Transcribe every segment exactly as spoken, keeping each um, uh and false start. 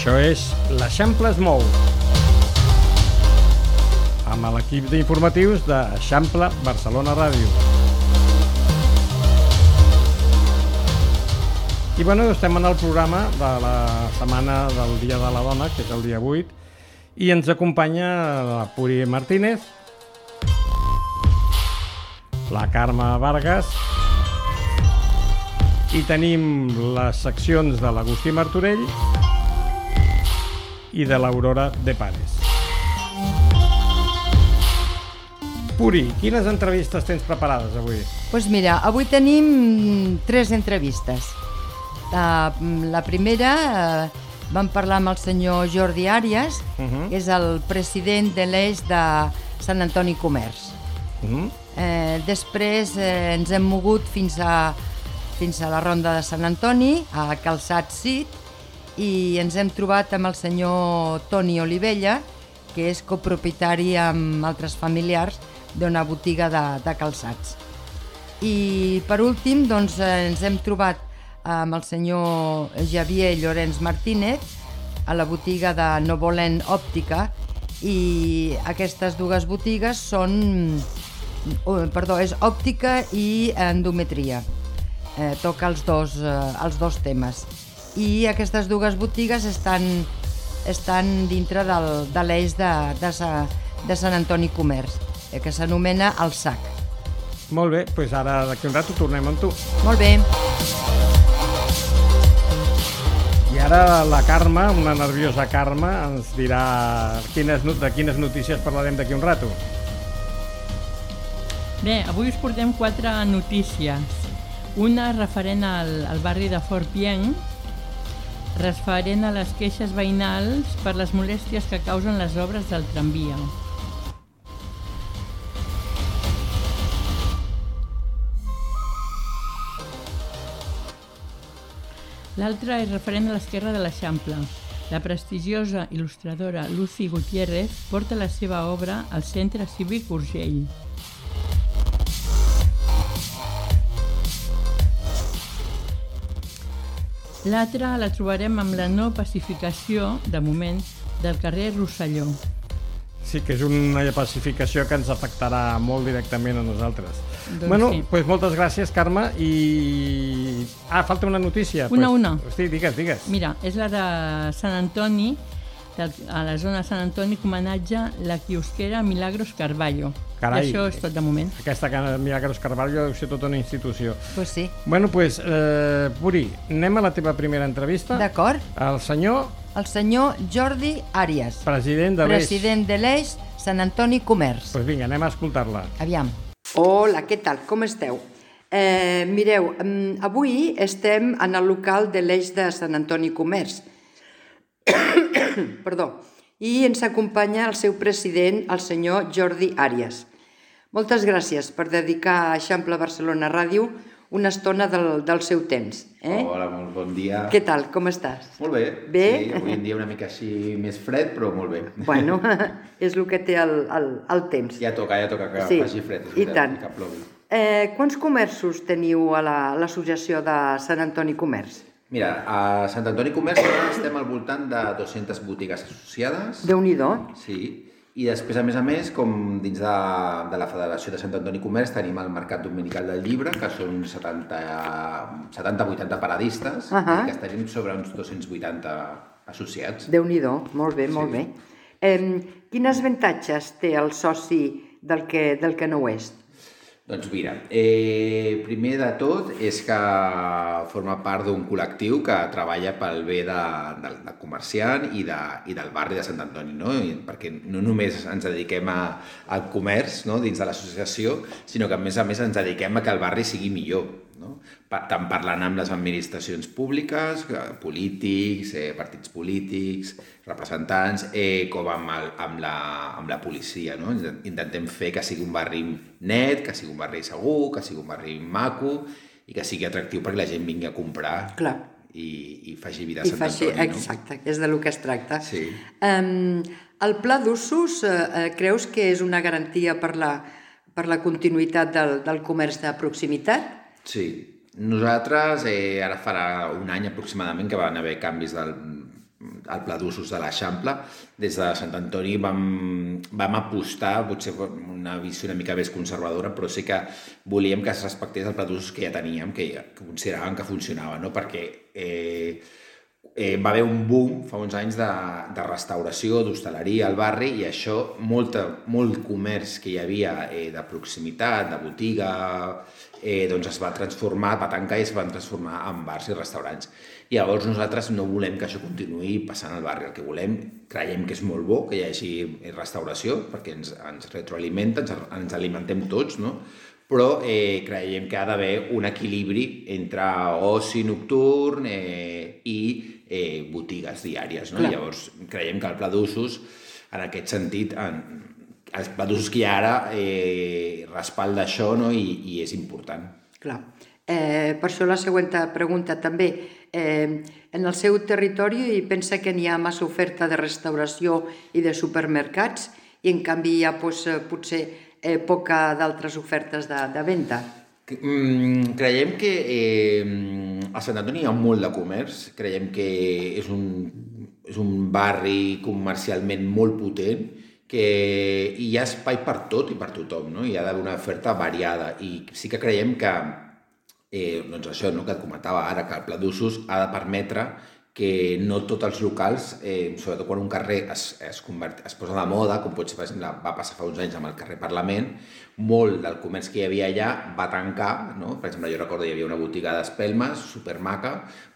Això és l'Eixample es mou, amb l'equip d'informatius d'Eixample Barcelona Ràdio. I bueno, estem en el programa de la setmana del Dia de la Dona, que és el dia vuit, i ens acompanya la Puri Martínez, la Carme Vargas, i tenim les seccions de l'Agustí Martorell i de l'Aurora de Pares. Puri, quines entrevistes tens preparades avui? Doncs pues mira, avui tenim tres entrevistes. La, la primera eh, vam parlar amb el senyor Jordi Àrias, uh-huh. que és el president de l'Eix de Sant Antoni Comerç. Uh-huh. eh, després eh, ens hem mogut fins a, fins a la Ronda de Sant Antoni, a Calçat Cit, i ens hem trobat amb el senyor Toni Olivella, que és copropietari amb altres familiars d'una botiga de, de calçats. I per últim doncs, ens hem trobat amb el senyor Javier Llorenç Martínez a la botiga de Novolent Òptica, i aquestes dues botigues són, oh, perdó, és òptica i endometria, eh, toca els dos, eh, els dos temes, i aquestes dues botigues estan, estan dintre del, de l'eix de, de, de Sant Antoni Comerç, eh, que s'anomena El Sac. Molt bé, doncs ara d'aquí un rato tornem amb tu. Molt bé. I ara la Carme, una nerviosa Carme, ens dirà quines, de quines notícies parlarem d'aquí un rato. Bé, avui us portem quatre notícies. Una referent al, al barri de Fort Pienc, referent a les queixes veïnals per les molèsties que causen les obres del tramvia. L'altra és referent a l'esquerra de l'Eixample. La prestigiosa il·lustradora Lucy Gutiérrez porta la seva obra al Centre Cívic Urgell. L'altra la trobarem amb la no pacificació, de moment, del carrer Rosselló. Sí, que és una pacificació que ens afectarà molt directament a nosaltres. Doncs bueno, sí. Pues moltes gràcies, Carme, i... Ah, falta una notícia. Una, pues... una. Sí, digues, digues. Mira, és la de Sant Antoni, a la zona de Sant Antoni, que homenatja la quiosquera Milagros Carballo. Carai, I això és tot de moment. Aquesta Milagros Carballo deu ser tota una institució. Pues sí. Bueno, pues, eh, Puri, anem a la teva primera entrevista. D'acord. El senyor... El senyor Jordi Àrias, president de l'Eix. President de l'Eix Sant Antoni Comerç. Doncs pues vinga, anem a escoltar-la. Aviam. Hola, què tal? Com esteu? Eh, mireu, avui estem en el local de l'Eix de Sant Antoni Comerç. Perdó. I ens acompanya el seu president, el senyor Jordi Àrias. Moltes gràcies per dedicar a Eixample Barcelona Ràdio una estona del, del seu temps. Eh? Hola, molt bon dia. Què tal? Com estàs? Molt bé. Bé? Sí, avui en dia una mica així més fred, però molt bé. Bueno, és el que té el, el, el temps. Ja toca, ja toca que sí, faci fred. I tant. Que plogui. Eh, quants comerços teniu a l'associació de Sant Antoni Comerç? Mira, a Sant Antoni Comerç estem al voltant de dues-centes botigues associades. Déu-n'hi-do. Sí. I després, a més a més, com dins de, de la Federació de Sant Antoni Comerç, tenim el Mercat Dominical del Llibre, que són setanta a vuitanta paradistes, uh -huh. i que estaríem sobre uns dos-cents vuitanta associats. Déu-n'hi-do, molt bé, molt sí. bé. Eh, quins avantatges té el soci del que, del que no ho és? Doncs mira, eh, primer de tot és que forma part d'un col·lectiu que treballa pel bé de, de, de comerciant i, de, i del barri de Sant Antoni, no? I perquè no només ens dediquem a, al comerç, no? Dins de l'associació, sinó que a més a més ens dediquem a que el barri sigui millor, no? Tant parlant amb les administracions públiques, polítics, eh, partits polítics, representants, eh, com amb, el, amb, la, amb la policia, no? Intentem fer que sigui un barri net, que sigui un barri segur, que sigui un barri maco i que sigui atractiu perquè la gent vingui a comprar. Clar. I, i faci vida a I Sant faci, Antoni, no? exacte, és de lo que es tracta. Sí. Um, el pla d'usos, eh, creus que és una garantia per la, per la continuïtat del, del comerç de proximitat? Sí. Nosaltres, eh, ara farà un any aproximadament que van haver canvis del, al Pla d'Usos de l'Eixample. Des de Sant Antoni vam, vam apostar, potser una visió una mica més conservadora, però sí que volíem que es respectés el Pla d'Usos que ja teníem, que, que consideràvem que funcionava, no? Perquè eh, eh, va haver un boom fa uns anys de, de restauració, d'hostaleria al barri, i això, molta, molt comerç que hi havia eh, de proximitat, de botiga, eh, doncs es va transformar, va tancar i es van transformar en bars i restaurants. I llavors nosaltres no volem que això continuï passant al barri. El que volem, creiem que és molt bo que hi hagi restauració, perquè ens, ens retroalimenta, ens, ens alimentem tots, no? Però eh, creiem que ha d'haver un equilibri entre oci nocturn eh, i eh, botigues diàries, no? Llavors creiem que el Pla d'Usos, en aquest sentit, en, el Pla d'Usos que hi ha ara eh, respalda això, no? I, i és important. Clar. Eh, per això la següent pregunta també. Eh, en el seu territori pensa que n'hi ha massa oferta de restauració i de supermercats i en canvi hi ha pues, potser eh, poca d'altres ofertes de, de venda? Mm, creiem que eh, a Sant Antoni hi ha molt de comerç, creiem que és un, és un barri comercialment molt potent, que hi ha espai per tot i per tothom, no? Hi ha d'haver una oferta variada i sí que creiem que Eh, doncs això, no, que et comentava ara, que el Pla d'Usos ha de permetre que no tots els locals, eh, sobretot quan un carrer es, es, convert, es posa de moda, com pot ser, per exemple, va passar fa uns anys amb el carrer Parlament, molt del comerç que hi havia allà va tancar, no? Per exemple, jo recordo hi havia una botiga d'espelmes, supermaca,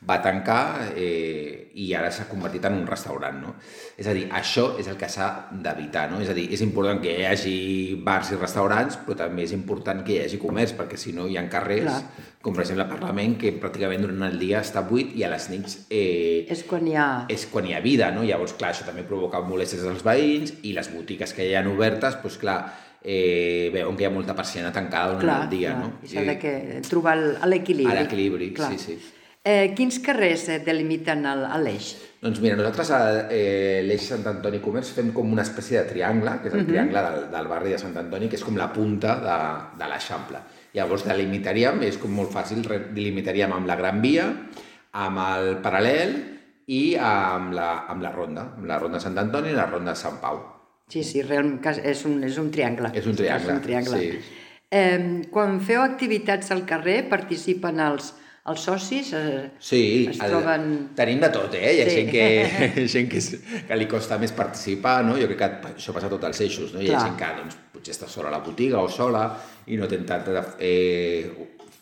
va tancar eh, i ara s'ha convertit en un restaurant, no? És a dir, això és el que s'ha d'evitar, no? És a dir, és important que hi hagi bars i restaurants, però també és important que hi hagi comerç, perquè si no hi ha carrers, clar, com per exemple el Parlament, que pràcticament durant el dia està buit i a les nits eh, és, quan hi ha... és quan hi ha vida, no? Llavors, clar, això també provoca molèsties als veïns i les botigues que hi ha obertes, doncs clar, eh, veuen que hi ha molta persiana tancada durant clar, el dia, clar, no? I s'ha de que trobar l'equilibri. L'equilibri, sí, sí. Eh, quins carrers delimiten l'Eix? Doncs mira, nosaltres a eh, l'Eix Sant Antoni Comerç fem com una espècie de triangle, que és el uh-huh. triangle del, del barri de Sant Antoni, que és com la punta de, de l'Eixample. Llavors delimitaríem, és com molt fàcil, delimitaríem amb la Gran Via, amb el Paral·lel i amb la, amb la Ronda, amb la Ronda de Sant Antoni i la Ronda de Sant Pau. Sí, sí, realment és un, és un triangle. És un triangle, és un triangle. sí. Eh, quan feu activitats al carrer, participen els, els socis? Eh, sí, es troben... el, tenim de tot, eh? Hi ha sí. gent, que, gent que, que li costa més participar, no? Jo crec que això passa a tots els eixos, no? Hi ha gent que doncs, potser està sola a la botiga o sola i no té tanta eh,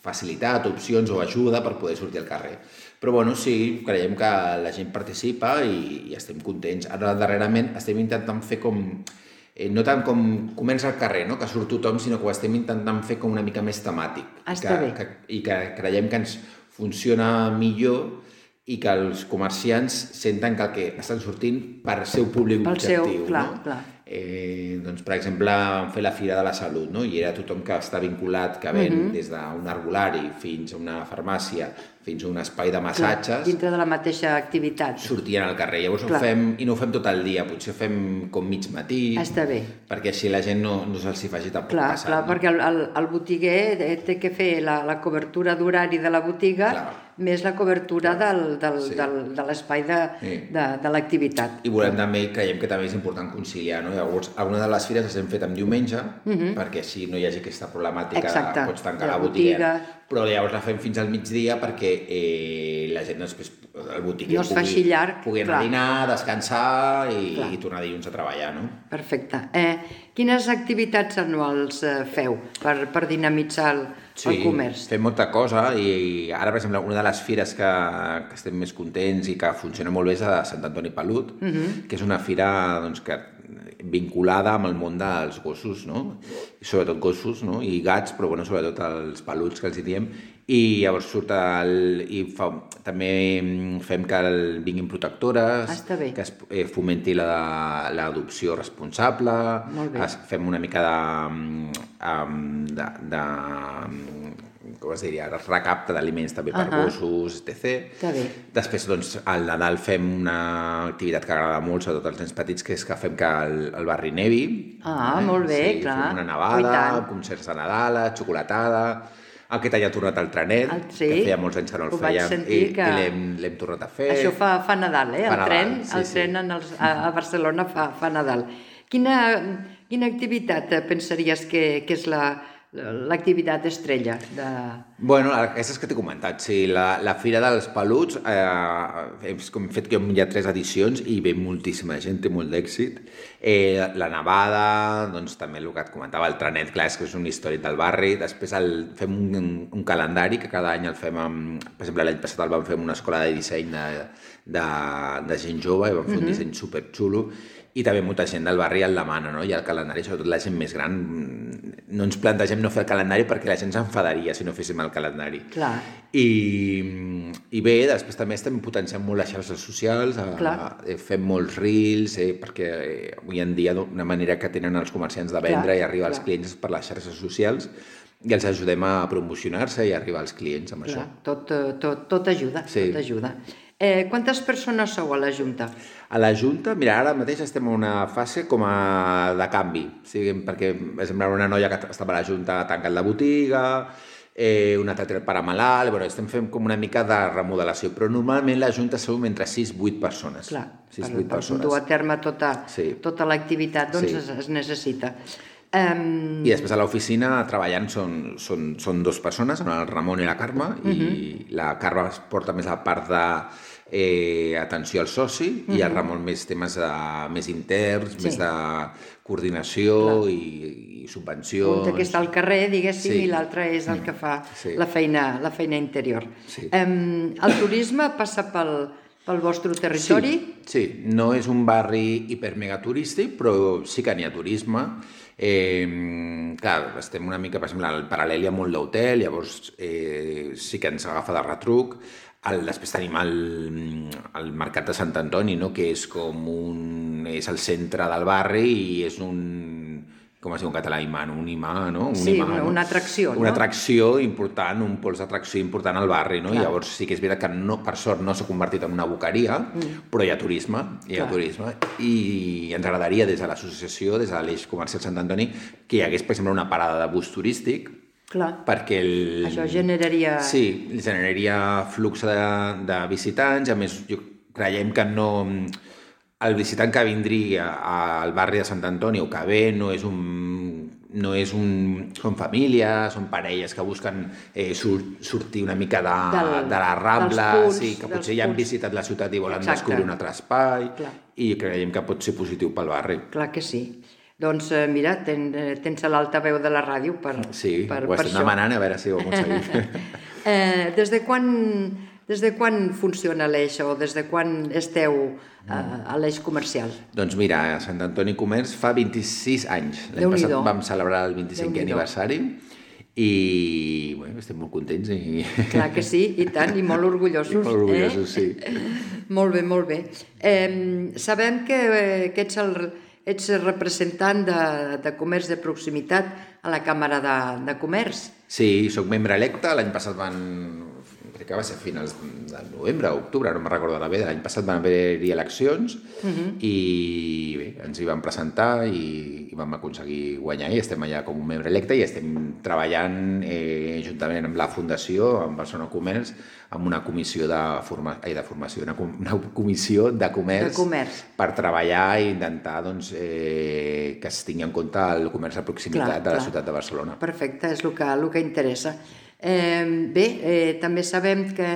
facilitat, opcions o ajuda per poder sortir al carrer. Però bueno, sí, creiem que la gent participa i, i estem contents. Ara, darrerament, estem intentant fer com... Eh, no tant com comença al carrer, no? Que surt tothom, sinó que ho estem intentant fer com una mica més temàtic. Ah, està que, bé. Que, I que creiem que ens funciona millor i que els comerciants senten que el que estan sortint per al seu públic pel objectiu. Seu, clar, no? clar. Eh, doncs, per exemple, vam fer la Fira de la Salut, no? I era tothom que està vinculat, que ven uh-huh. des d'un arbolari fins a una farmàcia, fins a un espai de massatges... Clar, dintre de la mateixa activitat. Sortien al carrer. Llavors ho fem, i no ho fem tot el dia, potser ho fem com mig matí... Està bé. Perquè així la gent no, no se'ls hi faci tampoc clar, passat. Clar, no? perquè el, el, el botiguer té que fer la, la cobertura d'horari de la botiga clar. Més la cobertura del, del, sí. del, de l'espai de, sí. de, de l'activitat. I volem també, creiem que també és important conciliar, no? Llavors, alguna de les fires les hem fet en diumenge, uh-huh. perquè així no hi hagi aquesta problemàtica, exacte. Pots tancar la, la botiga, però llavors la fem fins al migdia perquè eh, la gent després, el botiguer no pugui, llarg, pugui anar a dinar, descansar i, i tornar dilluns a treballar, no? Perfecte. Eh, quines activitats anuals eh, feu per, per dinamitzar el, sí, el comerç? Sí, fem molta cosa i, i ara, per exemple, una de les fires que, que estem més contents i que funciona molt bé és a Sant Antoni Pelut, uh-huh. que és una fira doncs, que vinculada amb el món dels gossos, no? I sobretot gossos, no? I gats, però bueno, sobretot els peluts que els hi diem. I llavors surt el... I fa, també fem que el, vinguin protectores, ah, que es eh, fomenti l'adopció responsable, es, fem una mica de... Um, de, de com es diria, recapte d'aliments també per uh-huh. gossos, etcètera. Després, doncs, al Nadal fem una activitat que agrada molt, sobretot als nens petits, que és que fem que el, el barri nevi. Ah, eh? Molt bé, sí, clar. Fem una nevada, concerts de Nadal, xocolatada... Aquest any ha tornat al trenet, El- sí, que feia molts anys que no el ho vaig fèiem, sentir i, que- i l'hem l'hem tornat a fer. Això fa, fa Nadal, eh? Fa El Nadal, tren, sí, el sí. tren en els, a, a Barcelona fa, fa Nadal. Quina, quina activitat pensaries que, que és la, l'activitat estrella de... Bueno, aquestes que t'he comentat, sí, la, la Fira dels Peluts, eh, hem, hem fet que hi ha tres edicions i ve moltíssima gent, té molt d'èxit. Eh, la nevada, doncs també el que et comentava, el trenet, clar, és que és un històric del barri. Després el, fem un, un calendari que cada any el fem amb... Per exemple, l'any passat el vam fer en una escola de disseny de, de, de gent jove i vam fer un disseny superxulo. I també molta gent del barri el demana, no? I el calendari, sobretot la gent més gran, no ens plantegem no fer el calendari perquè la gent s'enfadaria si no féssim el calendari. Clar. I, i bé, després també estem potenciant molt les xarxes socials, a, a, fem molts reels, eh, perquè eh, avui en dia una manera que tenen els comerciants de vendre clar, i arribar als clar. clients és per les xarxes socials i els ajudem a promocionar-se i arribar als clients amb Clar, això. tot, tot, tot ajuda, Sí. tot ajuda. Eh, quantes persones sou a la Junta? A la Junta, mira, ara mateix estem en una fase com a de canvi, o sigui, perquè és una noia que estava a la Junta tancat la botiga, eh, un altre pare malalt, bueno, estem fent com una mica de remodelació, però normalment la Junta som entre sis i vuit persones. Clar, sis, per, vuit per persones. dur a terme tota, Sí. tota l'activitat doncs Sí. es, es necessita. Um, I després a l'oficina treballant són, són, són dues persones, són el Ramon i la Carme, uh -huh. i la Carme es porta més la part de eh, atenció al soci, uh -huh. i el Ramon més temes de, més interns, Sí. més de coordinació i, i subvencions. un que està al carrer, diguéssim, Sí. i l'altre és el que fa Sí. la, feina, la feina interior. Sí. Um, el turisme passa pel, pel vostre territori? Sí, sí, no és un barri hipermegaturístic, però sí que n'hi ha turisme. Eh, clar, estem una mica, per exemple, al paral·lel hi ha molt d'hotel, llavors eh, sí que ens agafa de retruc. El, després tenim el, el Mercat de Sant Antoni, no? Que és com un... és el centre del barri i és un... com es diu en català, imant, un imà, no? Un Sí, imà, una, no? una atracció, Una no? atracció important, un pols d'atracció important al barri, no? Clar. I llavors sí que és veritat que no, per sort no s'ha convertit en una boqueria, mm. però hi ha turisme, hi ha Clar. turisme, i ens agradaria des de l'associació, des de l'Eix Comercial Sant Antoni, que hi hagués, per exemple, una parada de bus turístic, Clar. perquè el... Això generaria... Sí, generaria flux de, de visitants, a més, jo creiem que no... El visitant que vindria al barri de Sant Antoni o que ve no és un... no és un... són famílies, són parelles que busquen eh, sur, sortir una mica de, Del- de la Rambla, dels punts, sí, que dels potser ja han punts. visitat la ciutat i volen Exacte. descobrir un altre espai, Clar. i creiem que pot ser positiu pel barri. Clar que sí. Doncs eh, mira, ten, eh, tens l'altaveu de la ràdio per, Sí, per, ho per estem això. demanant, a veure si ho aconseguim. eh, des de quan... Des de quan funciona l'Eix o des de quan esteu a, a l'Eix comercial? Doncs mira, a Sant Antoni Comerç fa vint-i-sis anys. L'any passat Déu-n'hi-do. vam celebrar el vint-i-cinquè Déu-n'hi-do. aniversari i bueno, estem molt contents i... Clar que sí, i tant, i molt orgullosos. I molt orgullosos, eh? sí. Molt bé, molt bé. Eh, sabem que, eh, que ets, el, ets representant de, de comerç de proximitat a la Càmera de, de Comerç. Sí, sóc membre electe, l'any passat van... crec que va ser a finals de novembre o octubre, no me'n recordo ara bé, de l'any passat van haver-hi eleccions uh -huh. i bé, ens hi vam presentar i, i vam aconseguir guanyar i estem allà com un membre electe i estem treballant eh, juntament amb la Fundació, amb Barcelona Comerç, amb una comissió de, forma... Ai, de formació, una, com... una comissió de comerç, De comerç. per treballar i intentar doncs, eh, que es tingui en compte el comerç de proximitat Clar, de la clar. ciutat de Barcelona. Perfecte, és el que, el que interessa. Eh, bé, eh, també sabem que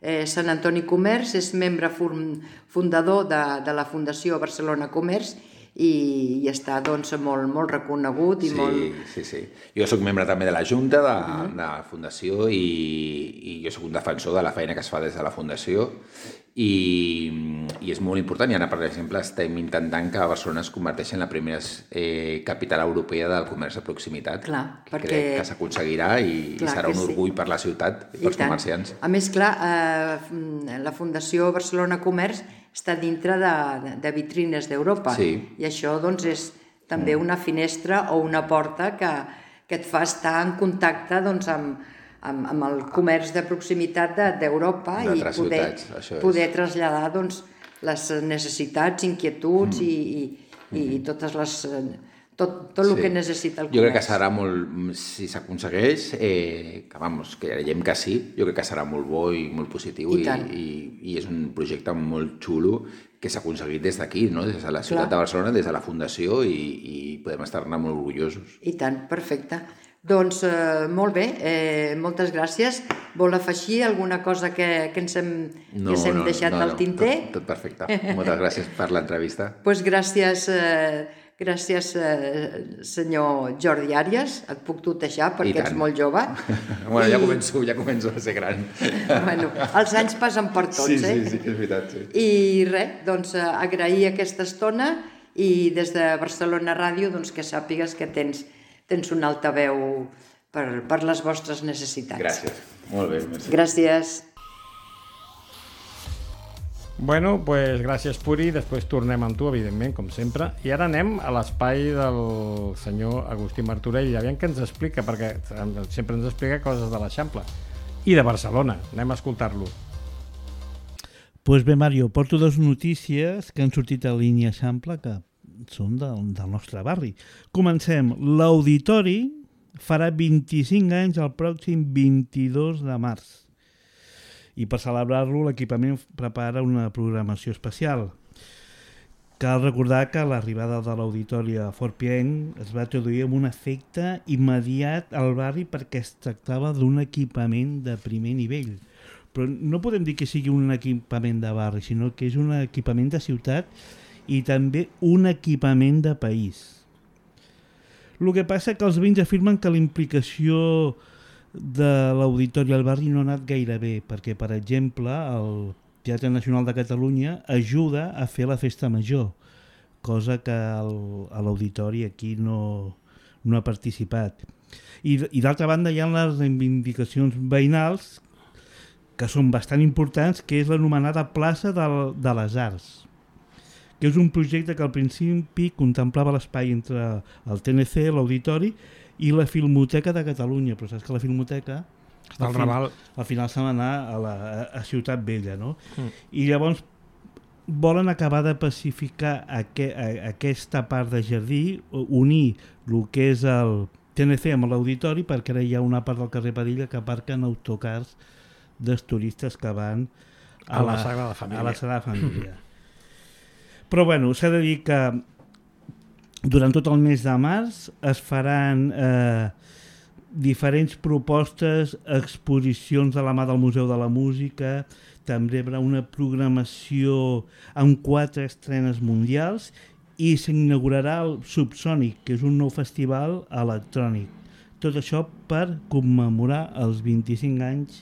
eh, Sant Antoni Comerç és membre fundador de, de la Fundació Barcelona Comerç i, i està doncs, molt, molt reconegut i Sí, molt... sí, sí. Jo sóc membre també de la Junta de, uh -huh. de la Fundació i, i jo sóc un defensor de la feina que es fa des de la Fundació i, i és molt important i ara, per exemple, estem intentant que Barcelona es converteixi en la primera eh, capital europea del comerç de proximitat. Clar, que perquè- crec que s'aconseguirà i, i Clar serà que un sí. orgull per la ciutat i I pels tant. comerciants. A més, clar, eh, la Fundació Barcelona Comerç està dintre de, de, de vitrines d'Europa Sí. i això doncs, és també una finestra o una porta que, que et fa estar en contacte doncs, amb, amb, amb el comerç de proximitat de- d'Europa i D'altres poder, ciutats, això és. poder traslladar doncs, les necessitats, inquietuds mm. i, i, i totes les, eh, tot, tot el sí. que necessita el comerç. Jo crec que serà molt, si s'aconsegueix, eh, que vamos, que creiem que sí, jo crec que serà molt bo i molt positiu i, i, i, i és un projecte molt xulo que s'ha aconseguit des d'aquí, no? Des de la ciutat Clar. de Barcelona, des de la Fundació i, i podem estar-ne molt orgullosos. I tant, perfecte. Doncs eh, molt bé, eh, moltes gràcies. Vol afegir alguna cosa que, que ens hem, no, que ens hem no, deixat no, al tinter? Tot, tot perfecte. Moltes gràcies per l'entrevista. Doncs pues gràcies, eh, gràcies eh, senyor Jordi Àrias. Et puc tutejar perquè ets molt jove. bueno, I... ja començo, ja començo a ser gran. bueno, els anys passen per tots, sí, eh? Sí, sí, és veritat, sí. I res, doncs agrair aquesta estona i des de Barcelona Ràdio doncs, que sàpigues que tens tens un altaveu per, per les vostres necessitats. Gràcies. Molt bé. Merci. Gràcies. Bueno, pues gràcies, Puri. Després tornem amb tu, evidentment, com sempre. I ara anem a l'espai del senyor Agustí Martorell. Aviam què ens explica, perquè sempre ens explica coses de l'Eixample i de Barcelona. Anem a escoltar-lo. Pues bé, Mario, porto dues notícies que han sortit a línia Eixample que són del, del nostre barri. Comencem. L'Auditori farà vint-i-cinc anys el pròxim vint-i-dos de març. I per celebrar-lo l'equipament prepara una programació especial. Cal recordar que l'arribada de l'Auditori a Fort Pienc es va traduir amb un efecte immediat al barri perquè es tractava d'un equipament de primer nivell. Però no podem dir que sigui un equipament de barri, sinó que és un equipament de ciutat i també un equipament de país. El que passa que els veïns afirmen que la implicació de l'Auditori al barri no ha anat gaire bé, perquè, per exemple, el Teatre Nacional de Catalunya ajuda a fer la festa major, cosa que el, a l'Auditori aquí no, no ha participat. I, i d'altra banda hi ha les reivindicacions veïnals que són bastant importants, que és l'anomenada plaça del, de les Arts, que és un projecte que al principi contemplava l'espai entre el T N C, l'Auditori, i la Filmoteca de Catalunya, però saps que la Filmoteca Està al Raval. Al final se n'anà a, la, a Ciutat Vella, no? Mm. I llavors volen acabar de pacificar aqu a, aquesta part de jardí, unir el que és el T N C amb l'Auditori, perquè ara hi ha una part del carrer Padilla que aparquen autocars dels turistes que van a, a la, la Sagrada Família. A la Sagrada Família. Però bueno, s'ha de dir que durant tot el mes de març es faran eh, diferents propostes, exposicions de la mà del Museu de la Música, també hi haurà una programació amb quatre estrenes mundials i s'inaugurarà el Subsònic, que és un nou festival electrònic. Tot això per commemorar els vint-i-cinc anys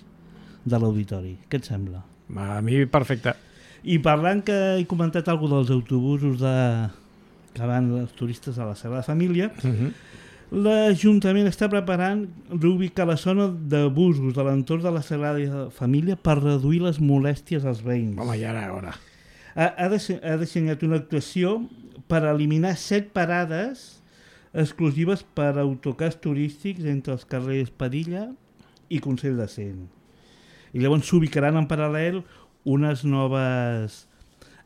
de l'Auditori. Què et sembla? A mi perfecte. I parlant que he comentat alguna dels autobusos de... que van els turistes a la Sagrada Família, uh-huh. l'Ajuntament està preparant reubicar la zona de busos de l'entorn de la Sagrada Família per reduir les molèsties als veïns. Home, ja era hora. Ha, ha, de, ha dissenyat una actuació per eliminar set parades exclusives per a autocars turístics entre els carrers Padilla i Consell de Cent. I llavors s'ubicaran en paral·lel unes noves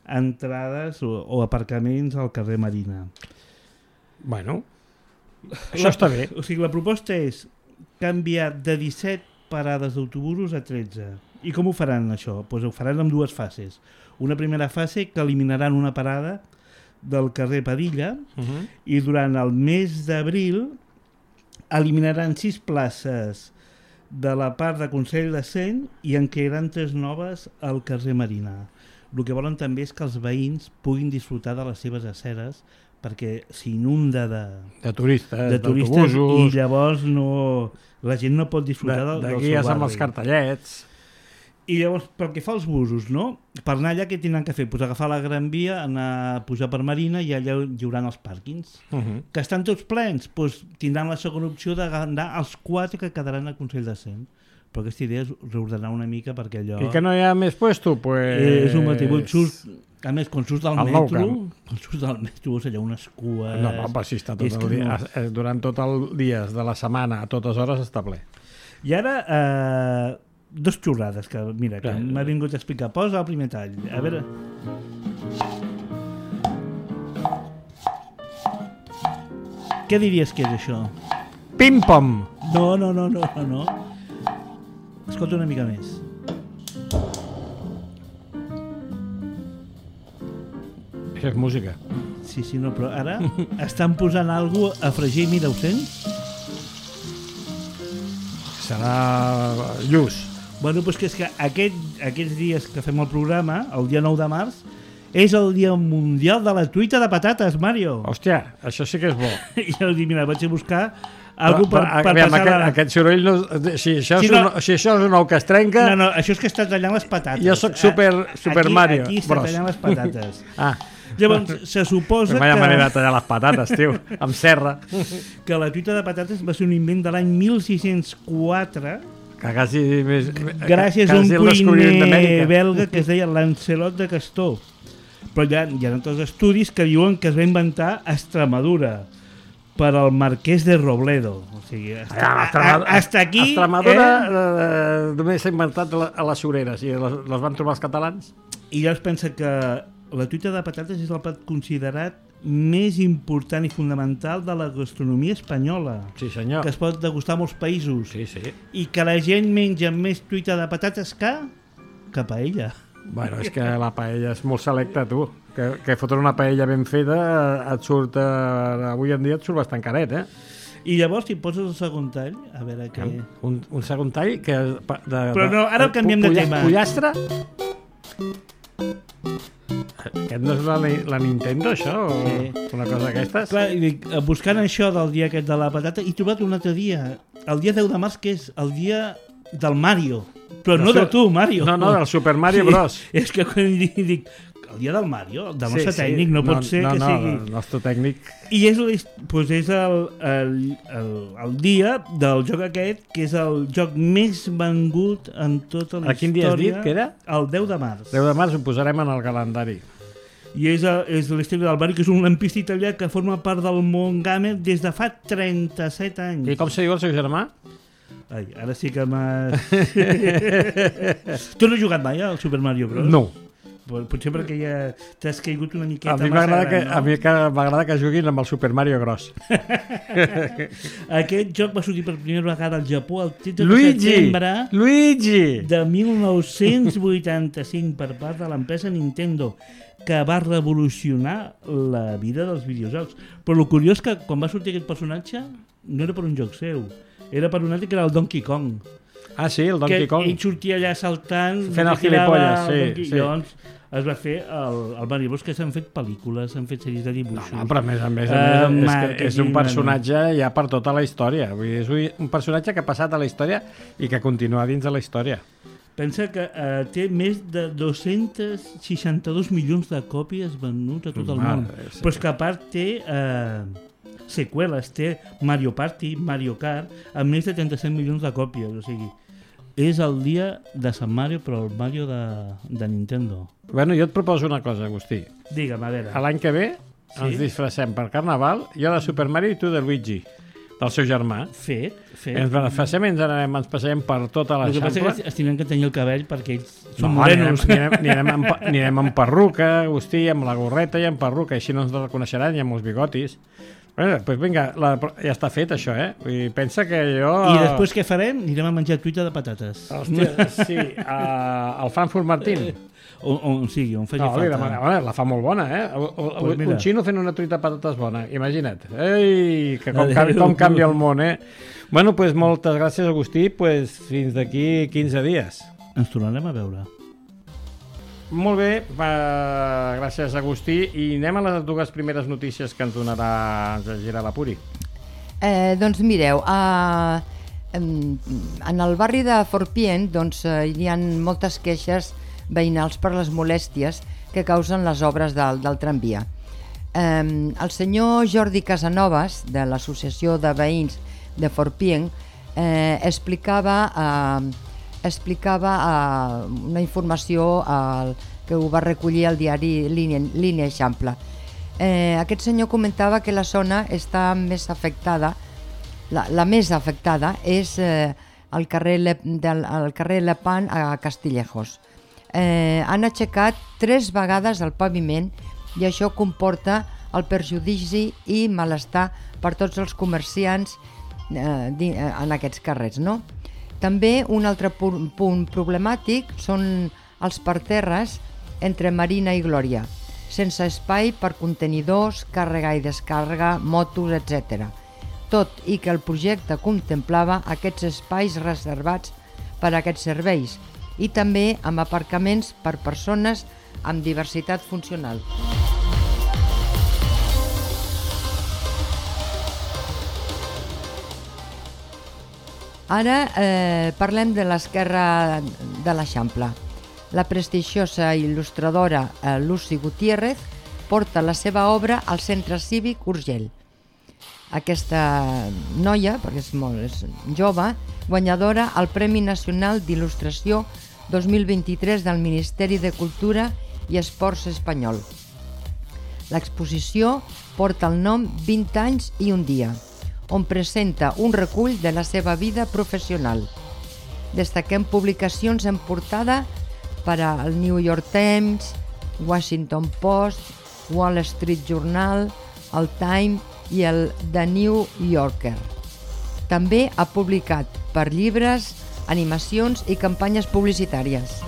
entrades o, o aparcaments al carrer Marina. Bueno, això està bé. O sigui, la proposta és canviar de disset parades d'autobusos a tretze. I com ho faran, això? Pues ho faran en dues fases. Una primera fase que eliminaran una parada del carrer Padilla uh-huh. i durant el mes d'abril eliminaran sis places de la part de Consell de Cent i en crearan tres noves al carrer Marina. El que volen també és que els veïns puguin disfrutar de les seves aceres perquè s'inunda de, de turistes, de turistes i llavors no, la gent no pot disfrutar de, del, del seu barri. De guies amb els cartellets. I llavors, pel que fa als busos, no? Per anar allà, què tindran que fer? Pues agafar la Gran Via, anar a pujar per Marina i allà hi haurà els pàrquings. Uh-huh. Que estan tots plens? Pues tindran la segona opció d'anar als quatre que quedaran a Consell de Cent. Però aquesta idea és reordenar una mica perquè allò... I que no hi ha més puesto? Pues... És un motiu. Surts... A més, quan surts del metro, quan surts del metro veus allà unes cues... No, no, però si està tot el dia, no... durant tot el dia de la setmana, a totes hores està ple. I ara... Eh... dos xurrades que, mira, que m'ha vingut a explicar. Posa el primer tall. A veure... Què diries que és això? Pim-pom! No, no, no, no, no, no. Escolta una mica més. Això és música. Sí, sí, no, però ara estan posant alguna cosa a fregir, mira, ho sents? Serà lluç. Bueno, doncs que és que aquest, aquests dies que fem el programa, el dia nou de març, és el dia mundial de la truita de patates, Mario. Hòstia, això sí que és bo. I jo dic, mira, vaig a buscar algú per, per aviam, passar... Aquest, la... aquest soroll, no, si, això Si és no- un, si això és un ou que es trenca... No, no, això és que està tallant les patates. Jo sóc super, super aquí, Mario Aquí està Bros. tallant les patates. Ah, Llavors, se suposa vaya manera de que, tallar les patates, tio, amb serra. que la truita de patates va ser un invent de l'any mil sis-cents quatre Que quasi més... gràcies a un quasi el descobriment cuiner d'Amèrica. belga que es deia Lancelot de Castor. Però hi ha, hi ha altres estudis que diuen que es va inventar a Extremadura per al marquès de Robledo. O sigui, hasta, Allà, a, Extremadura, a, hasta aquí... Extremadura Eh? eh, només s'ha inventat a les sureres i les, les van trobar els catalans. I llavors pensa que la truita de patates és el plat considerat més important i fonamental de la gastronomia espanyola, Sí, senyor. que es pot degustar a molts països, Sí, sí. i que la gent menja més truita de patates que que paella. Bueno, és que la paella és molt selecta, tu. Que, que fotre una paella ben feta et surt... Eh, avui en dia et surt bastant caret, eh? I llavors, si poses el segon tall, a veure què... Un, un segon tall que... De, Però no, ara canviem de tema. Pollastre? Aquest no és la, la Nintendo, això? O Sí. una cosa d'aquestes? Clar, i dic, buscant això del dia aquest de la patata, he trobat un altre dia, el dia deu de març, que és el dia del Mario. Però no de tu, Mario. No, no, del Super Mario Bros. És que quan dic, dic el dia del Mario, del nostre Sí, sí. tècnic, no, pot ser no, que no, sigui... No, el nostre tècnic... I és, l'his- doncs és el, el, el, el dia del joc aquest, que és el joc més vengut en tota la A quin dia has història. dit que era? El deu de març. deu de març ho posarem en el calendari. I és, el- és l'Esteve del Barri, que és un lampista italià que forma part del món gamer des de fa trenta-set anys. I com se diu el seu germà? Ai, ara sí que m'has... Tu no has jugat mai al Super Mario Bros? No. Pot- Potser perquè ja t'has caigut una miqueta A mi massa m'agrada que, gran, a mi que m'agrada que juguin amb el Super Mario Gros. Aquest joc va sortir per primera vegada al Japó el tretze de Luigi! setembre Luigi! de mil nou-cents vuitanta-cinc per part de l'empresa Nintendo, que va revolucionar la vida dels videojocs. Però el curiós que quan va sortir aquest personatge no era per un joc seu, era per un altre que era el Donkey Kong. Ah, sí, el Donkey que Kong. ell sortia allà saltant, Fent el tirava gilipolles, sí, el Donkey- sí. Llavors es va fer el, el Mario Bros, que s'han fet pel·lícules, s'han fet sèries de dibuixos. No, però a més a més, a Eh, més és, que marketing, és un personatge ja per tota la història. Vull dir, és un personatge que ha passat a la història i que continua dins de la història. Pensa que eh, té més de dos-cents seixanta-dos milions de còpies venuts a tot el Mare món. de Déu. Però és que a part té eh, seqüeles, té Mario Party, Mario Kart, amb més de trenta-set milions de còpies. O sigui, és el dia de Sant Mario, però el Mario de, de Nintendo. Bueno, jo et proposo una cosa, Agustí. Digue'm, a veure. A l'any que ve Sí. ens disfressem per Carnaval, jo de Super Mario i tu de Luigi, del seu germà. Fet, fet. Ens beneficiem i ens, anarem, ens passarem per tota El que passa l'Eixample. és que es tindran que tenir el cabell perquè ells són No, morenos. anirem, anirem, anirem, amb, pa- anirem amb perruca, Agustí, amb la gorreta i amb perruca, així no ens reconeixeran i amb els bigotis. Bueno, doncs vinga, la, ja està fet això, eh? Vull dir, pensa que jo... I després què farem? Anirem a menjar truita de patates. Hòstia, sí, uh, el Frankfurt Martín. On, on sigui, on faci No, li falta. demana, home, la fa molt bona, eh? O, o, Pues mira. un xino fent una truita de patates bona, imagina't. Ei, que com, canvi, com canvia el món, eh? Bueno, doncs pues, moltes gràcies, Agustí, pues, fins d'aquí quinze dies. Ens tornarem a veure. Molt bé, va, gràcies, Agustí. I anem a les dues primeres notícies que ens donarà, ens llegirà la Puri. Eh, doncs mireu, a, en, en el barri de Forpient doncs, eh, hi ha moltes queixes veïnals per les molèsties que causen les obres del, del tramvia. Eh, el senyor Jordi Casanovas, de l'Associació de Veïns de Forpient, eh, explicava, eh, explicava eh, una informació eh, que ho va recollir al diari Línia, Línia Eixample. Eh, aquest senyor comentava que la zona està més afectada, la, la més afectada és eh, el carrer, Le, del, el carrer Lepant a Castillejos. Eh, han aixecat tres vegades el paviment i això comporta el perjudici i malestar per tots els comerciants eh, en aquests carrers, no? També un altre punt, punt problemàtic són els parterres entre Marina i Glòria, sense espai per contenidors, càrrega i descàrrega, motos, etcètera. Tot i que el projecte contemplava aquests espais reservats per a aquests serveis i també amb aparcaments per persones amb diversitat funcional. Ara eh, parlem de l'esquerra de l'Eixample. La prestigiosa il·lustradora eh, Lucy Gutiérrez porta la seva obra al Centre Cívic Urgell. Aquesta noia, perquè és molt és jove, guanyadora al Premi Nacional d'Il·lustració dos mil vint-i-tres del Ministeri de Cultura i Esports espanyol. L'exposició porta el nom vint anys i un dia, on presenta un recull de la seva vida professional. Destaquem publicacions en portada per al New York Times, Washington Post, Wall Street Journal, el Time i el The New Yorker. També ha publicat per llibres, animacions i campanyes publicitàries.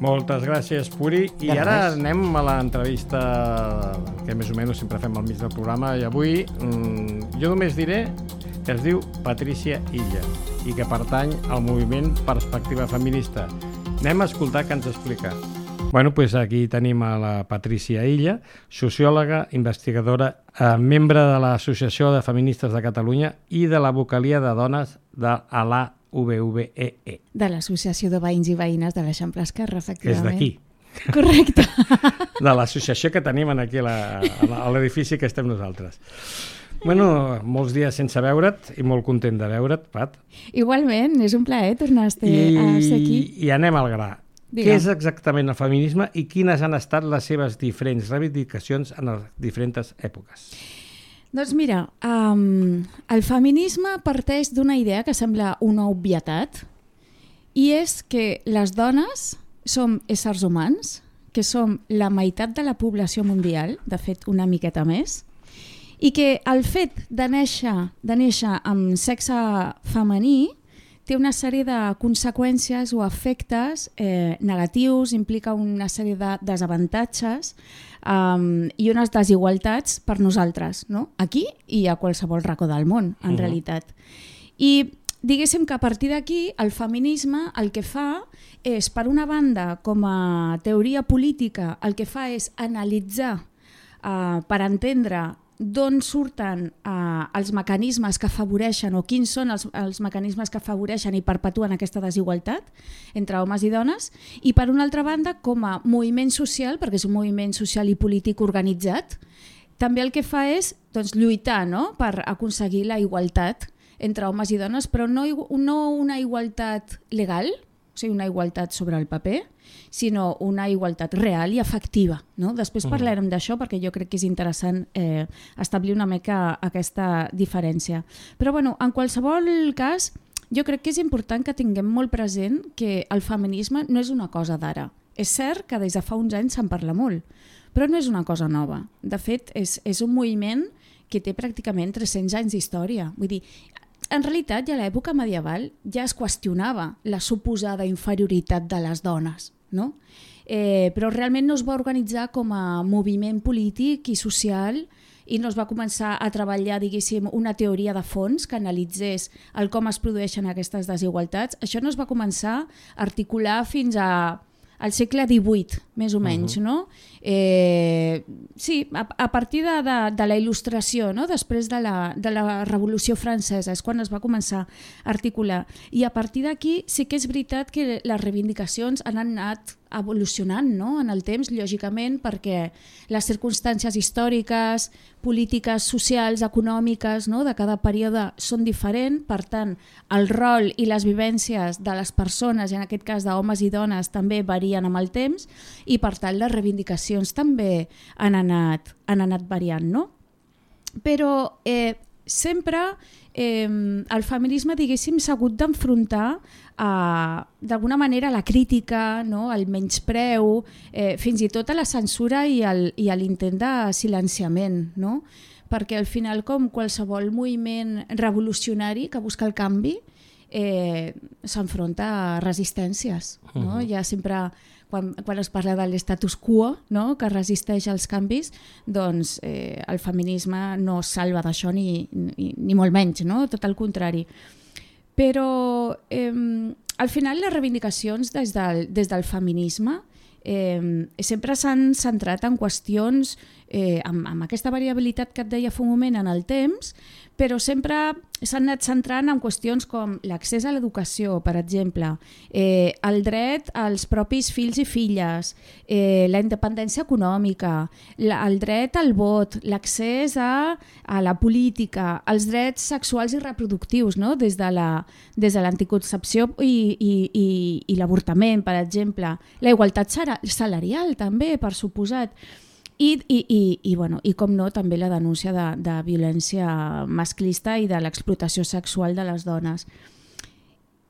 Moltes gràcies, Puri. I De ara res. anem a l'entrevista que més o menys sempre fem al mig del programa, i avui mmm, jo només diré que es diu Patrícia Illa i que pertany al moviment Perspectiva Feminista. Anem a escoltar què ens explica. Bueno, doncs aquí tenim a la Patrícia Illa, sociòloga, investigadora, eh, membre de l'Associació de Feministes de Catalunya i de la vocalia de dones de l'A V V E E. De l'Associació de Veïns i Veïnes de l'Eixample Esquerra, Que és efectivament. d'aquí. Correcte. De l'associació que tenim aquí a la- a l'edifici que estem nosaltres. Bueno, molts dies sense veure't i molt content de veure't, Pat. Igualment, és un plaer tornar a ser, a ser aquí. I, I anem al gra. Digue'm. Què és exactament el feminisme i quines han estat les seves diferents reivindicacions en les diferents èpoques? Doncs mira, um, el feminisme parteix d'una idea que sembla una obvietat, i és que les dones som éssers humans, que som la meitat de la població mundial, de fet una miqueta més, i que el fet de néixer, de néixer amb sexe femení té una sèrie de conseqüències o efectes eh, negatius, implica una sèrie de desavantatges um, i unes desigualtats per nosaltres, no? Aquí i a qualsevol racó del món, en uh-huh. realitat. I diguéssim que a partir d'aquí el feminisme el que fa és, per una banda, com a teoria política, el que fa és analitzar uh, per entendre d'on surten uh, els mecanismes que afavoreixen o quins són els, els mecanismes que afavoreixen i perpetuen aquesta desigualtat entre homes i dones, i per una altra banda com a moviment social, perquè és un moviment social i polític organitzat, també el que fa és doncs, lluitar, no?, per aconseguir la igualtat entre homes i dones, però no, no una igualtat legal, o sigui, una igualtat sobre el paper, sinó una igualtat real i efectiva, no? Després parlarem d'això perquè jo crec que és interessant eh, establir una mica aquesta diferència. Però bueno, en qualsevol cas, jo crec que és important que tinguem molt present que el feminisme no és una cosa d'ara. És cert que des de fa uns anys se'n parla molt, però no és una cosa nova. De fet, és, és un moviment que té pràcticament tres-cents anys d'història. Vull dir, en realitat, ja a l'època medieval ja es qüestionava la suposada inferioritat de les dones, no? Eh, però realment no es va organitzar com a moviment polític i social i no es va començar a treballar, diguéssim, una teoria de fons que analitzés el com es produeixen aquestes desigualtats. Això no es va començar a articular fins a al segle divuit, més o menys, uh-huh. no? Eh, sí, a, a partir de, de, de la il·lustració, no? Després de la, de la Revolució Francesa, és quan es va començar a articular. I a partir d'aquí sí que és veritat que les reivindicacions han anat evolucionant, no?, en el temps, lògicament, perquè les circumstàncies històriques, polítiques, socials, econòmiques, no?, de cada període són diferents, per tant, el rol i les vivències de les persones, i en aquest cas d'homes i dones, també varien amb el temps, i per tant les reivindicacions també han anat, han anat variant, no? Però eh, sempre eh, el feminisme, diguéssim, s'ha hagut d'enfrontar d'alguna manera a la crítica, no? Al menyspreu, eh, fins i tot a la censura i, el, i a l'intent de silenciament, no? Perquè al final, com qualsevol moviment revolucionari que busca el canvi, eh, s'enfronta a resistències. No? Uh-huh. Ja sempre, quan, quan es parla de l'estatus quo, no? Que resisteix als canvis, doncs eh, el feminisme no es salva d'això ni, ni, ni molt menys, no? Tot el contrari. Però eh, al final les reivindicacions des del, des del feminisme eh, sempre s'han centrat en qüestions eh, amb, amb aquesta variabilitat que et deia fa un moment en el temps, però sempre s'han anat centrant en qüestions com l'accés a l'educació, per exemple, eh, el dret als propis fills i filles, eh, la independència econòmica, la, el dret al vot, l'accés a, a la política, els drets sexuals i reproductius, no? Des de la, des de l'anticoncepció i, i, i, i l'avortament, per exemple, la igualtat salarial també, per suposat. I, i, i, i, bueno, i com no, també la denúncia de, de violència masclista i de l'explotació sexual de les dones.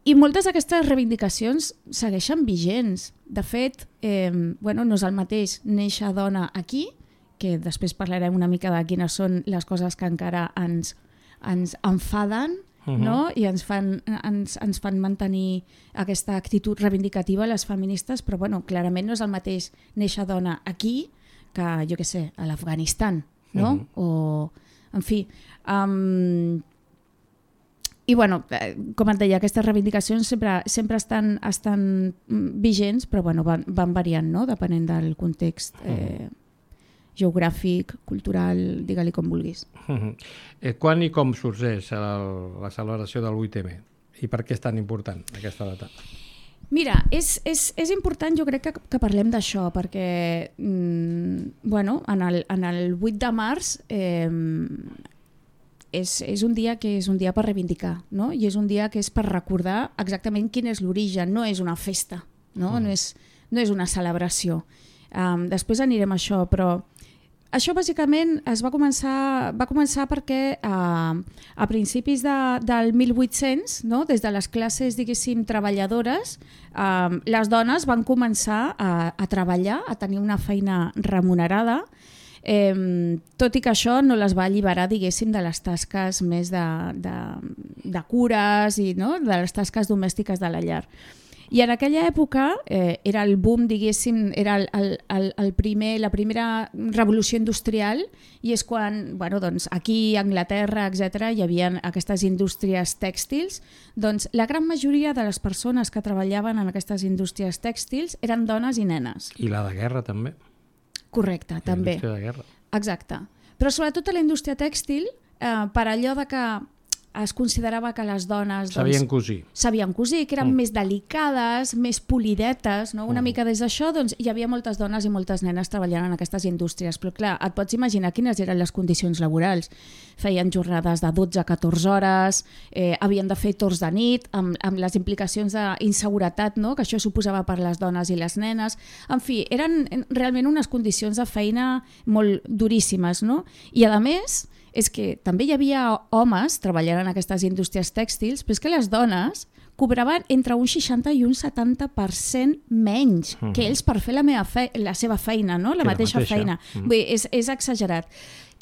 I moltes d'aquestes reivindicacions segueixen vigents. De fet, eh, bueno, no és el mateix néixer dona aquí, que després parlarem una mica de quines són les coses que encara ens, ens enfaden, uh-huh. no? I ens fan, ens, ens fan mantenir aquesta actitud reivindicativa les feministes, però bueno, clarament no és el mateix néixer dona aquí que, jo què sé, a l'Afganistan, no? Uh-huh. O, en fi... Um, I, bueno, com et deia, aquestes reivindicacions sempre, sempre estan, estan vigents, però bueno, van, van variant, no? Depenent del context eh, geogràfic, cultural, digue-li com vulguis. Uh-huh. Eh, quan i com sorgeix el, la celebració del vuit eme? I per què és tan important aquesta data? Mira, és, és, és important, jo crec que, que parlem d'això, perquè mm, bueno, en, el, en el vuit de març eh, és, és un dia que és un dia per reivindicar, no? I és un dia que és per recordar exactament quin és l'origen, no és una festa, no, mm. no, és, no és una celebració. Um, després anirem a això, però això bàsicament es va començar, va començar perquè uh, a principis de, del mil vuit-cents, no? Des de les classes, diguéssim, treballadores, uh, les dones van començar a, a treballar, a tenir una feina remunerada, eh, tot i que això no les va alliberar, diguéssim, de les tasques més de, de, de cures i, no? De les tasques domèstiques de la llar. I en aquella època eh, era el boom, diguéssim, era el, el, el primer, la primera revolució industrial, i és quan, bueno, doncs, aquí a Anglaterra, etcètera, hi havia aquestes indústries tèxtils. Doncs la gran majoria de les persones que treballaven en aquestes indústries tèxtils eren dones i nenes. I la de guerra també. Correcte, la també. La indústria de guerra. Exacte. Però sobretot a la indústria tèxtil, eh, per allò de que es considerava que les dones... Doncs, sabien cosir. Sabien cosir, que eren mm. més delicades, més polidetes, no? Una mm. mica des d'això, doncs hi havia moltes dones i moltes nenes treballant en aquestes indústries. Però clar, et pots imaginar quines eren les condicions laborals. Feien jornades de dotze a catorze hores, eh, havien de fer torns de nit, amb, amb les implicacions d'inseguretat, no? Que això suposava per les dones i les nenes. En fi, eren realment unes condicions de feina molt duríssimes, no? I a més... és que també hi havia homes treballant en aquestes indústries tèxtils, però és que les dones cobraven entre un seixanta i un setanta per cent menys uh-huh. que ells per fer la, meva fe la seva feina, no? la, mateixa la mateixa feina. Uh-huh. Vull dir, és, és exagerat.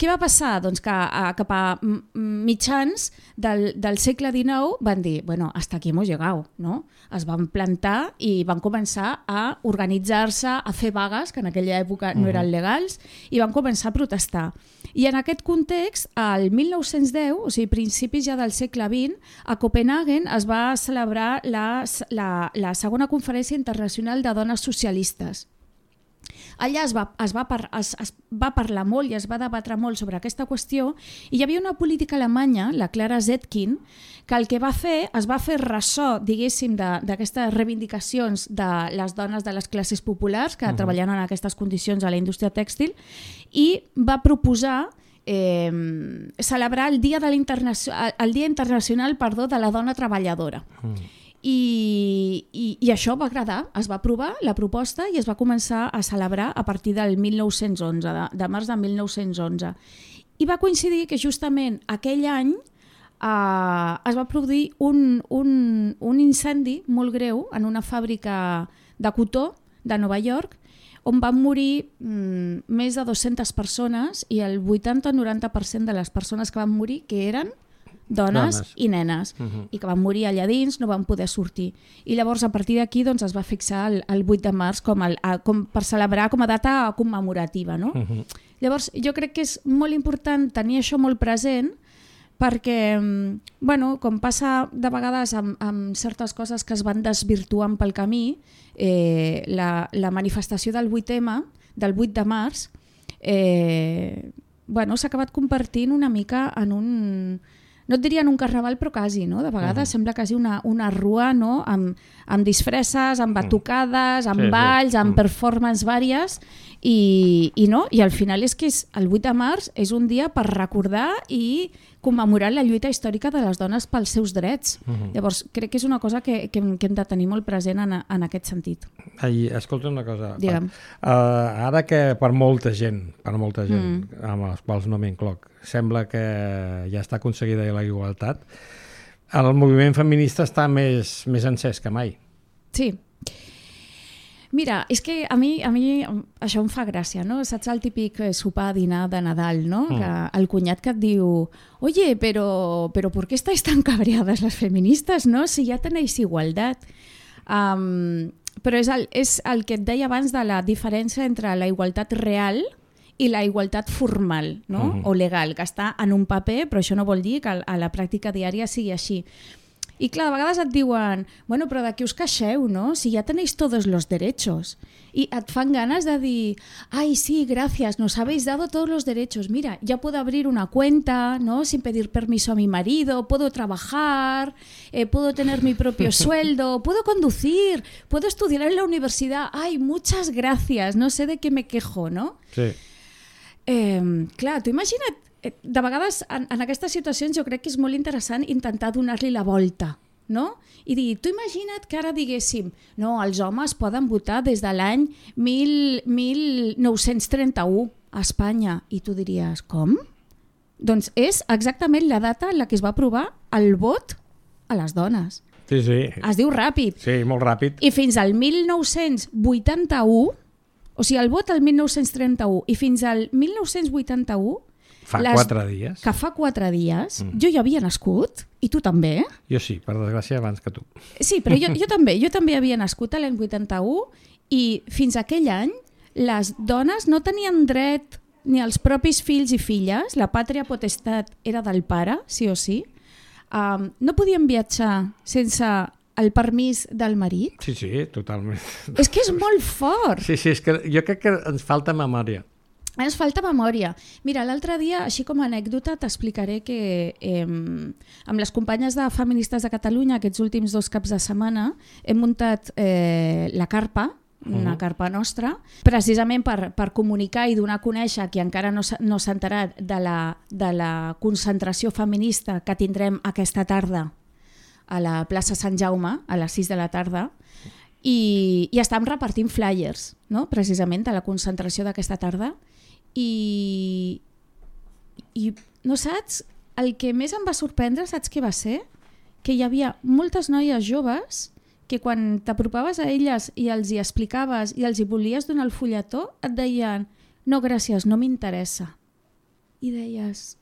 Què va passar? Doncs que a, cap a mitjans del, del segle dinou van dir, bueno, hasta aquí hemos llegado, no? Es van plantar i van començar a organitzar-se, a fer vagues, que en aquella època no eren legals, i van començar a protestar. I en aquest context, al mil nou-cents deu, o sigui, principis ja del segle vint, a Copenhagen es va celebrar la, la, la segona conferència internacional de dones socialistes. Allà es va, es, va par, es, es va parlar molt i es va debatre molt sobre aquesta qüestió, i hi havia una política alemanya, la Clara Zetkin, que el que va fer, es va fer ressò, diguéssim, d'aquestes reivindicacions de les dones de les classes populars que uh-huh. treballaven en aquestes condicions a la indústria tèxtil, i va proposar eh, celebrar el Dia, de el Dia Internacional perdó, de la Dona Treballadora. Uh-huh. I, i, i això va agradar, es va aprovar la proposta i es va començar a celebrar a partir del mil nou-cents onze, de, de març de mil nou-cents onze. I va coincidir que justament aquell any eh, es va produir un, un, un incendi molt greu en una fàbrica de cotó de Nova York, on van morir mm, més de dues-centes persones i el vuitanta o noranta per cent de les persones que van morir que eren dones, dones. i nenes, uh -huh. i que van morir allà dins, no van poder sortir. I llavors a partir d'aquí doncs, es va fixar el, el vuit de març com, el, com per celebrar com a data commemorativa. No? Uh -huh. Llavors jo crec que és molt important tenir això molt present, perquè, bueno, com passa de vegades amb, amb certes coses que es van desvirtuant pel camí, eh, la, la manifestació del vuit ema, del vuit de març, eh, bueno, s'ha acabat convertint una mica en un... no et diria en un carnaval, però quasi, no? De vegades uh -huh. sembla quasi una, una rua, no? Amb, amb disfresses, amb batucades, amb sí, balls, sí. amb performances vàries, i, i, no? I al final és que és, el vuit de març és un dia per recordar i commemorar la lluita històrica de les dones pels seus drets. Uh -huh. Llavors, crec que és una cosa que, que, que hem de tenir molt present en, en aquest sentit. Ai, escolta una cosa. Digue'm. Uh, ara que per molta gent, per molta gent, mm. amb els quals no m'incloc, sembla que ja està aconseguida la igualtat, el moviment feminista està més, més encès que mai. Sí. Mira, és que a mi, a mi això em fa gràcia, no? Saps el típic sopar, dinar de Nadal, no? Mm. Que el cunyat que et diu oye, pero, pero ¿por qué estáis tan cabreadas las feministas, no? Si ya tenéis igualdad. Um, però és el, és el que et deia abans de la diferència entre la igualtat real i la igualtat formal, no? Uh-huh. O legal, que està en un paper, però això no vol dir que a la pràctica diària sigui així. I clar, de vegades et diuen, bueno, però de què us queixeu, no? Si ja tenéis todos los derechos. I et fan ganes de dir, ay, sí, gracias, nos habéis dado todos los derechos. Mira, ya puedo abrir una cuenta, ¿no? Sin pedir permiso a mi marido, puedo trabajar, eh, puedo tener mi propio sueldo, puedo conducir, puedo estudiar en la universidad. Ay, muchas gracias, no sé de qué me quejo, ¿no? Sí. Eh, clar, tu imagina't, de vegades en, en aquestes situacions jo crec que és molt interessant intentar donar-li la volta, no? I dir, tu imagina't que ara diguéssim, no, els homes poden votar des de l'any mil nou-cents trenta-u a Espanya, i tu diries, com? Doncs és exactament la data en la que es va aprovar el vot a les dones. Sí, sí. Es diu ràpid. Sí, molt ràpid. I fins al mil nou-cents vuitanta-u, o sigui, el vot al mil nou-cents trenta-u i fins al mil nou-cents vuitanta-u, fa les, quatre dies. Que fa quatre dies, mm. jo ja havia nascut, i tu també. Jo sí, per desgràcia, abans que tu. Sí, però jo, jo també, jo també havia nascut a l'any vuitanta-u, i fins aquell any les dones no tenien dret ni als propis fills i filles, la pàtria potestat era del pare, sí o sí, um, no podien viatjar sense el permís del marit. Sí, sí, totalment. És que és molt fort. Sí, sí, és que jo crec que ens falta memòria. Ens falta memòria. Mira, l'altre dia, així com a anècdota, t'explicaré que eh, amb les companyes de Feministes de Catalunya aquests últims dos caps de setmana hem muntat eh, la carpa, una uh -huh. carpa nostra, precisament per, per comunicar i donar a conèixer qui encara no s'ha no s'ha enterat de la, de la concentració feminista que tindrem aquesta tarda a la plaça Sant Jaume, a les sis de la tarda, i, i estem repartint flyers, no? Precisament de la concentració d'aquesta tarda, i, i no saps? El que més em va sorprendre, saps què va ser? Que hi havia moltes noies joves que quan t'apropaves a elles i els hi explicaves i els hi volies donar el fulletó, et deien, no gràcies, no m'interessa. I deies...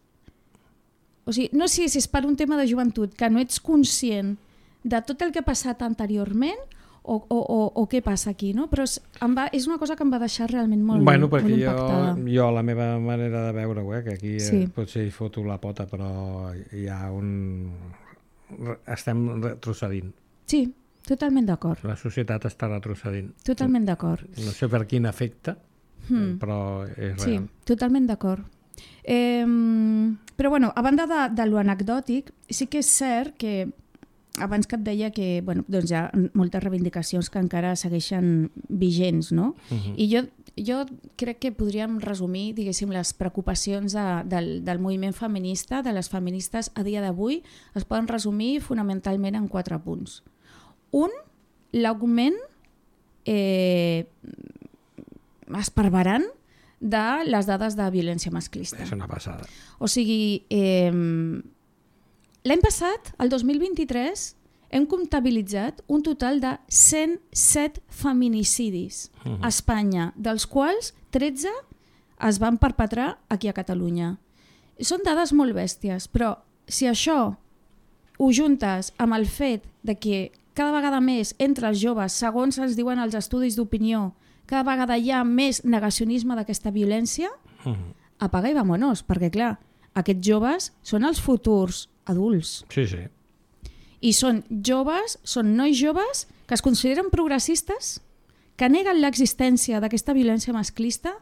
O sigui, no sé si és per un tema de joventut, que no ets conscient de tot el que ha passat anteriorment o, o, o, o què passa aquí, no? Però és, em va, és una cosa que em va deixar realment molt, bueno, molt impactada. Jo, jo, la meva manera de veure-ho, eh, que aquí sí. eh, potser hi foto la pota, però hi ha un... estem retrocedint. Sí, totalment d'acord. La societat està retrocedint. Totalment d'acord. No sé per quin efecte, hmm. però és real. Sí, totalment d'acord. Eh, però bueno, a banda de, de lo anecdòtic, sí que és cert que abans que et deia que bueno, doncs hi ha moltes reivindicacions que encara segueixen vigents, no? Uh-huh. I jo, jo crec que podríem resumir, diguéssim, les preocupacions de, del, del moviment feminista, de les feministes a dia d'avui, es poden resumir fonamentalment en quatre punts. Un, l'augment eh, esparverant de les dades de violència masclista. És una passada. O sigui, eh, l'any passat, el dos mil vint-i-tres, hem comptabilitzat un total de cent set feminicidis uh-huh. a Espanya, dels quals tretze es van perpetrar aquí a Catalunya. Són dades molt bèsties, però si això ho juntes amb el fet de que cada vegada més entre els joves, segons ens diuen els estudis d'opinió, cada vegada hi ha més negacionisme d'aquesta violència, uh-huh. apaga i vamonos, perquè clar, aquests joves són els futurs adults. Sí, sí. I són joves, són nois joves que es consideren progressistes, que neguen l'existència d'aquesta violència masclista,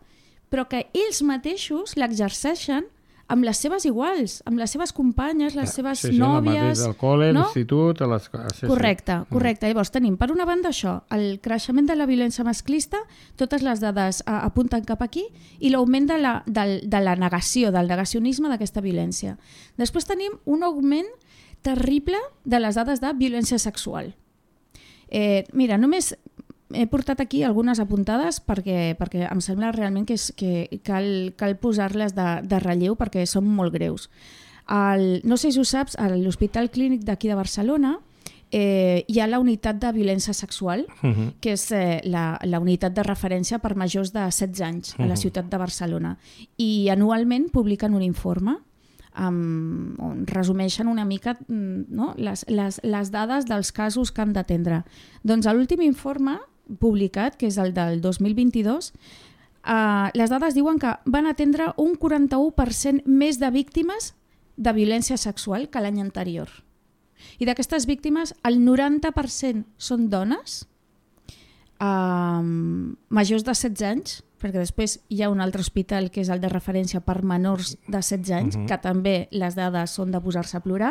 però que ells mateixos l'exerceixen amb les seves iguals, amb les seves companyes, les seves sí, sí, nòvies... Sí, al col·le, no? l'institut... A les... sí, correcte, sí. correcte. Llavors tenim, per una banda, això, el creixement de la violència masclista, totes les dades a, apunten cap aquí, i l'augment de, la, de, de la negació, del negacionisme d'aquesta violència. Després tenim un augment terrible de les dades de violència sexual. Eh, mira, només he portat aquí algunes apuntades perquè, perquè em sembla realment que, és, que cal, cal posar-les de, de relleu perquè són molt greus. El, no sé si ho saps, a l'Hospital Clínic d'aquí de Barcelona eh, hi ha la unitat de violència sexual, uh-huh. que és eh, la, la unitat de referència per majors de setze anys a la ciutat de Barcelona. I anualment publiquen un informe Um, on resumeixen una mica no? les, les, les dades dels casos que han d'atendre. Doncs l'últim informe publicat, que és el del dos mil vint-i-dos, uh, les dades diuen que van atendre un quaranta-u per cent més de víctimes de violència sexual que l'any anterior. I d'aquestes víctimes, el noranta per cent són dones, uh, majors de setze anys, perquè després hi ha un altre hospital que és el de referència per menors de setze anys, uh-huh. que també les dades són de posar-se a plorar,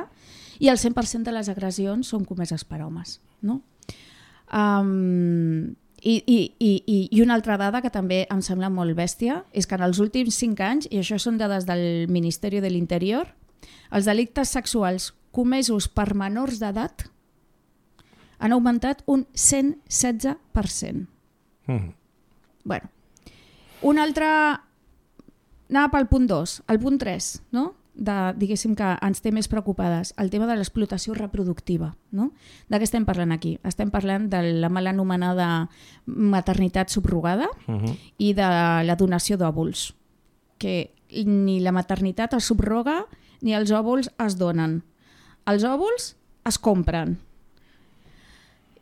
i el cent per cent de les agressions són comeses per homes. No? Um, i, i, i, I una altra dada que també em sembla molt bèstia és que en els últims cinc anys, i això són dades del Ministeri de l'Interior, els delictes sexuals comesos per menors d'edat han augmentat un cent setze per cent. Uh-huh. Bueno, un altre, anava pel punt dos, el punt tres, no? de, diguéssim que ens té més preocupades, el tema de l'explotació reproductiva. No? De què estem parlant aquí? Estem parlant de la mal anomenada maternitat subrogada uh-huh. i de la donació d'òvuls, que ni la maternitat es subroga ni els òvuls es donen. Els òvuls es compren.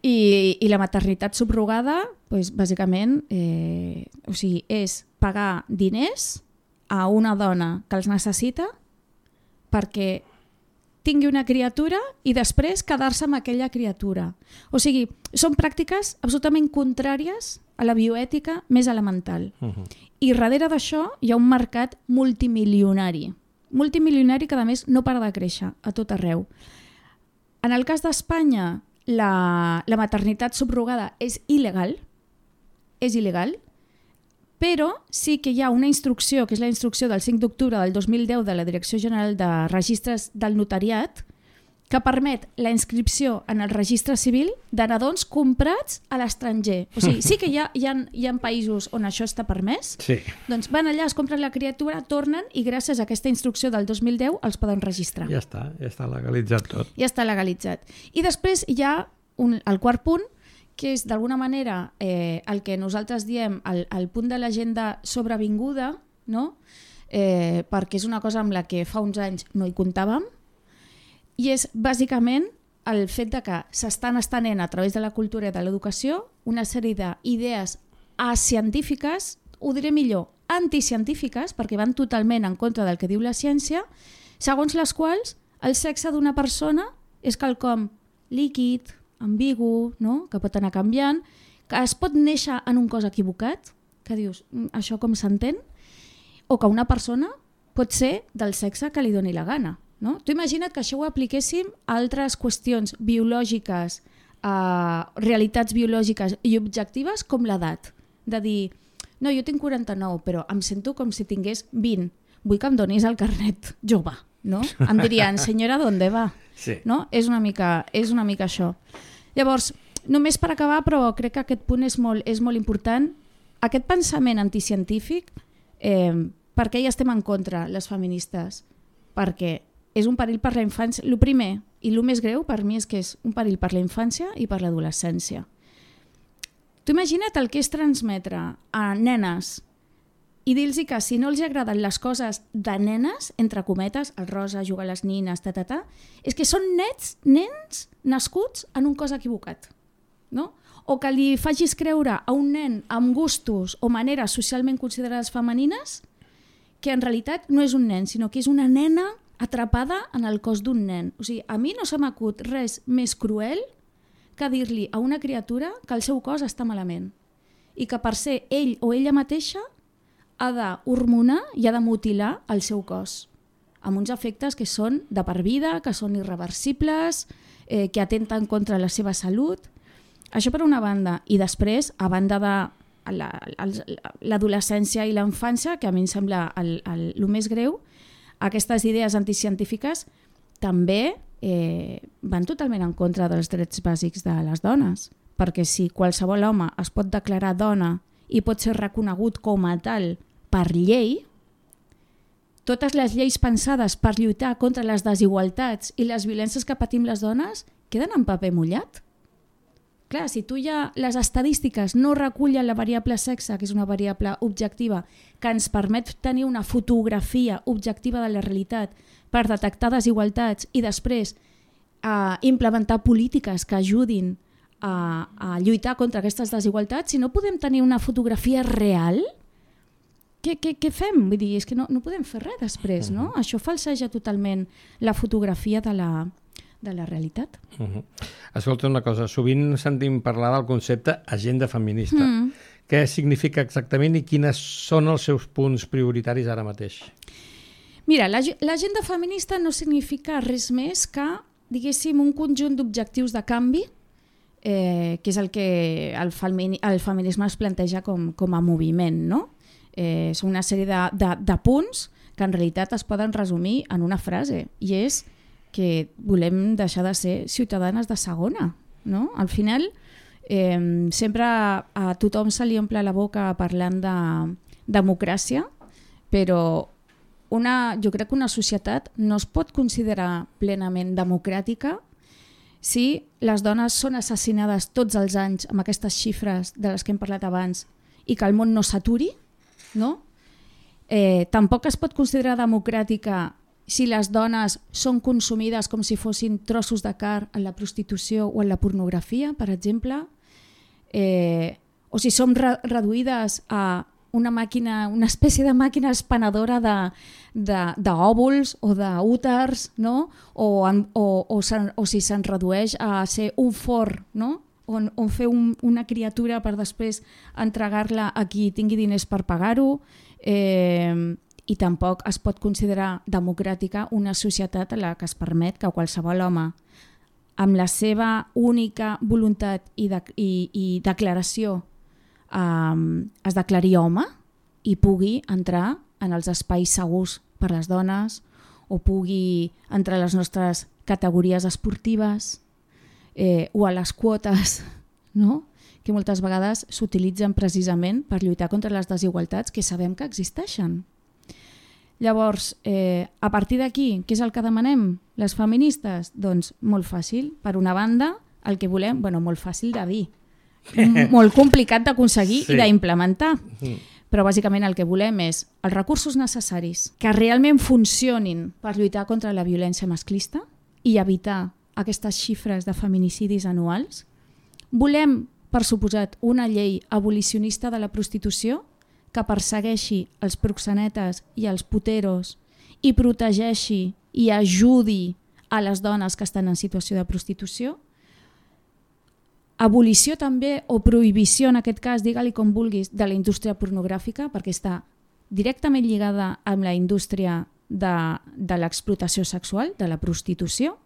I, i la maternitat subrogada, doncs, bàsicament, eh, o sigui, és pagar diners a una dona que els necessita perquè tingui una criatura i després quedar-se amb aquella criatura. O sigui, són pràctiques absolutament contràries a la bioètica més elemental. Uh-huh. I darrere d'això hi ha un mercat multimilionari. Multimilionari que, a més, no para de créixer a tot arreu. En el cas d'Espanya, La, la maternitat subrogada és il·legal, és il·legal, però sí que hi ha una instrucció, que és la instrucció del cinc d'octubre del dos mil deu de la Direcció General de Registres del Notariat, que permet la inscripció en el registre civil de nadons comprats a l'estranger. O sigui, sí que hi ha, hi, ha, hi ha països on això està permès, sí. Doncs van allà, es compren la criatura, tornen i gràcies a aquesta instrucció del dos mil deu els poden registrar. Ja està, ja està legalitzat tot. Ja està legalitzat. I després hi ha un, el quart punt, que és d'alguna manera eh, el que nosaltres diem el, el punt de l'agenda sobrevinguda, no? eh, perquè és una cosa amb la que fa uns anys no hi comptàvem, i és bàsicament el fet de que s'estan estenent a través de la cultura i de l'educació una sèrie d'idees acientífiques, ho diré millor, anticientífiques, perquè van totalment en contra del que diu la ciència, segons les quals el sexe d'una persona és quelcom líquid, ambigu, no? Que pot anar canviant, que es pot néixer en un cos equivocat, que dius, això com s'entén? O que una persona pot ser del sexe que li doni la gana. No? Tu imagina't que això ho apliquéssim a altres qüestions biològiques, a realitats biològiques i objectives com l'edat. De dir, no, jo tinc quaranta-nou, però em sento com si tingués vint. Vull que em donis el carnet jove. No? Em dirien, senyora, ¿dónde va? Sí. No? És una mica, és una mica això. Llavors, només per acabar, però crec que aquest punt és molt, és molt important. Aquest pensament anticientífic Eh, per què hi estem en contra, les feministes? Perquè és un perill per la infància. El primer i el més greu per mi és que és un perill per la infància i per l'adolescència. Tu imagina't el que és transmetre a nenes i dir-los que si no els agraden les coses de nenes, entre cometes, el rosa, jugar a les nines, ta, ta, ta, és que són nets, nens nascuts en un cos equivocat. No? O que li facis creure a un nen amb gustos o maneres socialment considerades femenines que en realitat no és un nen, sinó que és una nena atrapada en el cos d'un nen. O sigui, a mi no se m'acut res més cruel que dir-li a una criatura que el seu cos està malament i que per ser ell o ella mateixa ha d'hormonar i ha de mutilar el seu cos amb uns efectes que són de per vida, que són irreversibles, eh, que atenten contra la seva salut. Això per una banda. I després, a banda de l'adolescència i la infància, que a mi em sembla el, el, el més greu, aquestes idees anticientífiques també eh, van totalment en contra dels drets bàsics de les dones, perquè si qualsevol home es pot declarar dona i pot ser reconegut com a tal per llei, totes les lleis pensades per lluitar contra les desigualtats i les violències que patim les dones queden en paper mullat. Clar, si tu ja les estadístiques no recullen la variable sexe, que és una variable objectiva, que ens permet tenir una fotografia objectiva de la realitat per detectar desigualtats i després eh, implementar polítiques que ajudin a, a lluitar contra aquestes desigualtats, si no podem tenir una fotografia real, què, què, què fem? Vull dir, és que no, no podem fer res després, no? Uh-huh. Això falseja totalment la fotografia de la, de la realitat. Uh-huh. Escolta una cosa, sovint sentim parlar del concepte agenda feminista. Mm. Què significa exactament i quines són els seus punts prioritaris ara mateix? Mira, l'agenda feminista no significa res més que, diguéssim, un conjunt d'objectius de canvi, eh, que és el que el, femini, el feminisme es planteja com, com a moviment, no? Eh, són una sèrie de, de, de punts que en realitat es poden resumir en una frase, i és que volem deixar de ser ciutadanes de segona, no? Al final, eh, sempre a tothom se li omple la boca parlant de democràcia, però una, jo crec que una societat no es pot considerar plenament democràtica si les dones són assassinades tots els anys amb aquestes xifres de les que hem parlat abans i que el món no s'aturi, no? Eh, tampoc es pot considerar democràtica si les dones són consumides com si fossin trossos de carn en la prostitució o en la pornografia, per exemple, eh, o si som re reduïdes a una màquina, una espècie de màquina espanadora d'òvuls o d'úters, no? o, en, o, o, o si se'n redueix a ser un forn, no? on, on fer un, una criatura per després entregar-la a qui tingui diners per pagar-ho, eh, i tampoc es pot considerar democràtica una societat en la que es permet que qualsevol home, amb la seva única voluntat i, de, i, i declaració, Um, es declari home i pugui entrar en els espais segurs per les dones o pugui entrar a les nostres categories esportives eh, o a les quotes, no? Que moltes vegades s'utilitzen precisament per lluitar contra les desigualtats que sabem que existeixen. Llavors, eh, a partir d'aquí, què és el que demanem les feministes? Doncs molt fàcil. Per una banda, el que volem, bueno, molt fàcil de dir, molt complicat d'aconseguir sí. i d'implementar. Mm. Però bàsicament el que volem és els recursos necessaris que realment funcionin per lluitar contra la violència masclista i evitar aquestes xifres de feminicidis anuals. Volem, per suposat, una llei abolicionista de la prostitució que persegueixi els proxenetes i els puteros i protegeixi i ajudi a les dones que estan en situació de prostitució. Abolició també, o prohibició en aquest cas, digue-li com vulguis, de la indústria pornogràfica, perquè està directament lligada amb la indústria de, de l'explotació sexual, de la prostitució.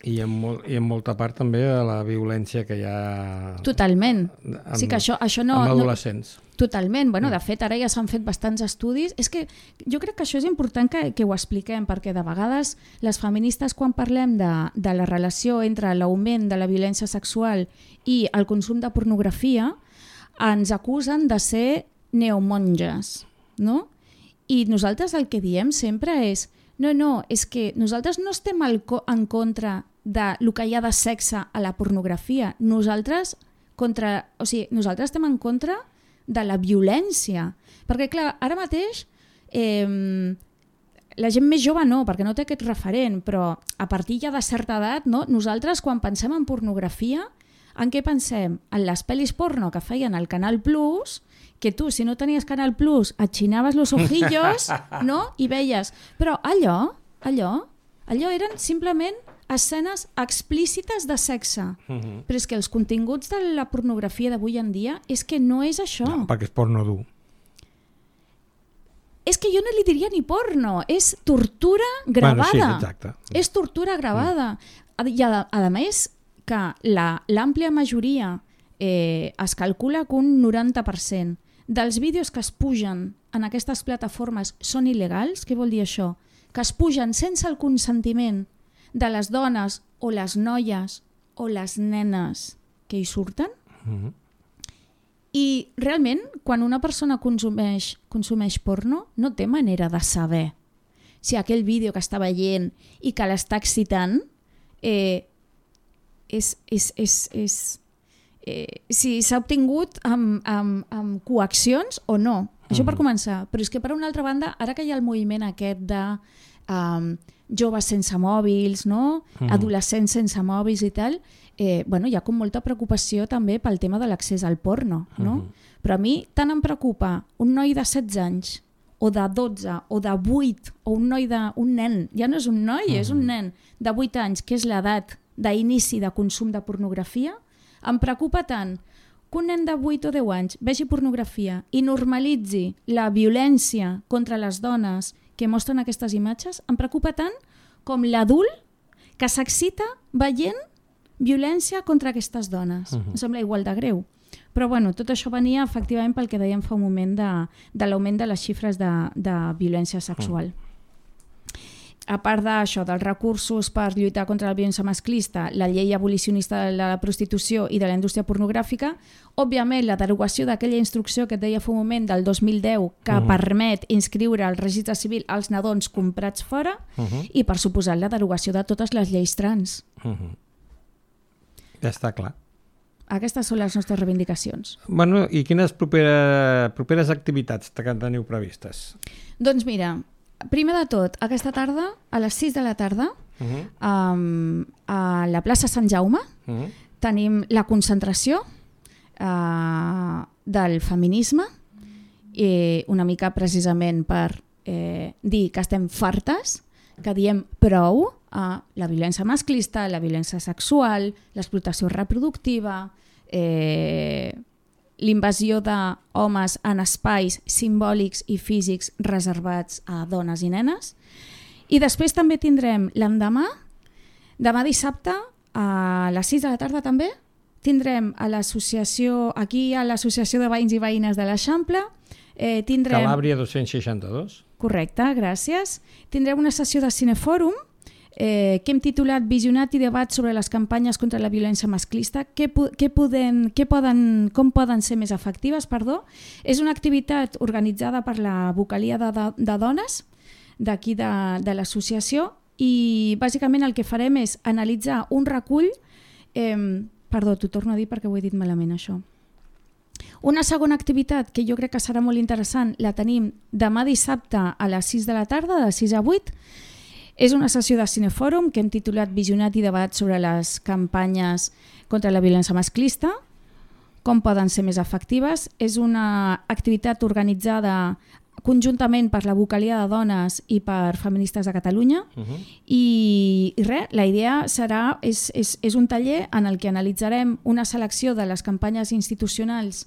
I en, molt, i en molta part també de la violència que hi ha... Totalment. En, sí que això, això no, amb adolescents. No, totalment. Bueno, de fet, ara ja s'han fet bastants estudis. És que jo crec que això és important que, que ho expliquem, perquè de vegades les feministes, quan parlem de, de la relació entre l'augment de la violència sexual i el consum de pornografia, ens acusen de ser neomonges, no? I nosaltres el que diem sempre és no, no, és que nosaltres no estem al co- en contra de lo que hi ha de sexe a la pornografia. Nosaltres, contra, o sigui, nosaltres estem en contra de la violència. Perquè, clar, ara mateix eh, la gent més jove no, perquè no té aquest referent, però a partir ja de certa edat, no? Nosaltres quan pensem en pornografia, en què pensem? En les pel·lis porno que feien al Canal Plus, que tu, si no tenies Canal Plus, et xinaves los ojillos, no? I veies. Però allò, allò, allò eren simplement escenes explícites de sexe. Uh-huh. Però és que els continguts de la pornografia d'avui en dia és que no és això. No, perquè és porno dur. És que jo no li diria ni porno, és tortura gravada. Bueno, sí, exacte. És tortura gravada. Mm. I a, a més que la- l'àmplia majoria eh, es calcula que un noranta per cent dels vídeos que es pugen en aquestes plataformes són il·legals. Què vol dir això? Que es pugen sense el consentiment de les dones o les noies o les nenes que hi surten. Uh-huh. I realment, quan una persona consumeix, consumeix porno, no té manera de saber si aquell vídeo que està veient i que l'està excitant eh, és, és, és, és, eh, si s'ha obtingut amb, amb, amb coaccions o no. Això per començar. Però és que per una altra banda, ara que hi ha el moviment aquest de um, joves sense mòbils, no? Mm. Adolescents sense mòbils i tal, eh, bueno, hi ha com molta preocupació també pel tema de l'accés al porno, no? Mm. Però a mi tant em preocupa un noi de setze anys o de dotze o de vuit o un noi de... un nen, ja no és un noi, mm. és un nen de vuit anys, que és l'edat d'inici de consum de pornografia, em preocupa tant que un nen de vuit o deu anys vegi pornografia i normalitzi la violència contra les dones que mostren aquestes imatges, em preocupa tant com l'adult que s'excita veient violència contra aquestes dones. Uh-huh. Em sembla igual de greu. Però bueno, tot això venia efectivament pel que dèiem fa un moment de, de l'augment de les xifres de, de violència sexual. Uh-huh. A part d'això, dels recursos per lluitar contra la violència masclista, la llei abolicionista de la prostitució i de la indústria pornogràfica, òbviament la derogació d'aquella instrucció que et deia fa un moment del dos mil deu que uh-huh. permet inscriure al registre civil els nadons comprats fora uh-huh. i, per suposat, la derogació de totes les lleis trans. Uh-huh. Ja està clar. Aquestes són les nostres reivindicacions. Bueno, i quines propera, properes activitats que teniu previstes? Doncs mira, primer de tot, aquesta tarda, a les sis de la tarda, uh-huh. um, a la plaça Sant Jaume, uh-huh. tenim la concentració uh, del feminisme, i una mica precisament per eh, dir que estem fartes, que diem prou a la violència masclista, la violència sexual, l'explotació reproductiva, eh, l'invasió d'homes en espais simbòlics i físics reservats a dones i nenes. I després també tindrem l'endemà, demà dissabte, a les sis de la tarda també, tindrem a l'associació, aquí a l'Associació de Veïns i Veïnes de l'Eixample, eh, tindrem... Calàbria dos-cents seixanta-dos. Correcte, gràcies. Tindrem una sessió de cinefòrum eh, que hem titulat Visionat i debat sobre les campanyes contra la violència masclista, què, què poden, què poden, com poden ser més efectives. Perdó. És una activitat organitzada per la vocalia de, de, de dones d'aquí de, de l'associació i bàsicament el que farem és analitzar un recull... Eh, perdó, t'ho torno a dir perquè ho he dit malament això. Una segona activitat que jo crec que serà molt interessant la tenim demà dissabte a les sis de la tarda, de sis a vuit. És una sessió de cinefòrum que hem titulat Visionat i debat sobre les campanyes contra la violència masclista, com poden ser més efectives. És una activitat organitzada conjuntament per la vocalia de dones i per feministes de Catalunya. Uh-huh. I, i res, la idea serà, és, és, és un taller en el que analitzarem una selecció de les campanyes institucionals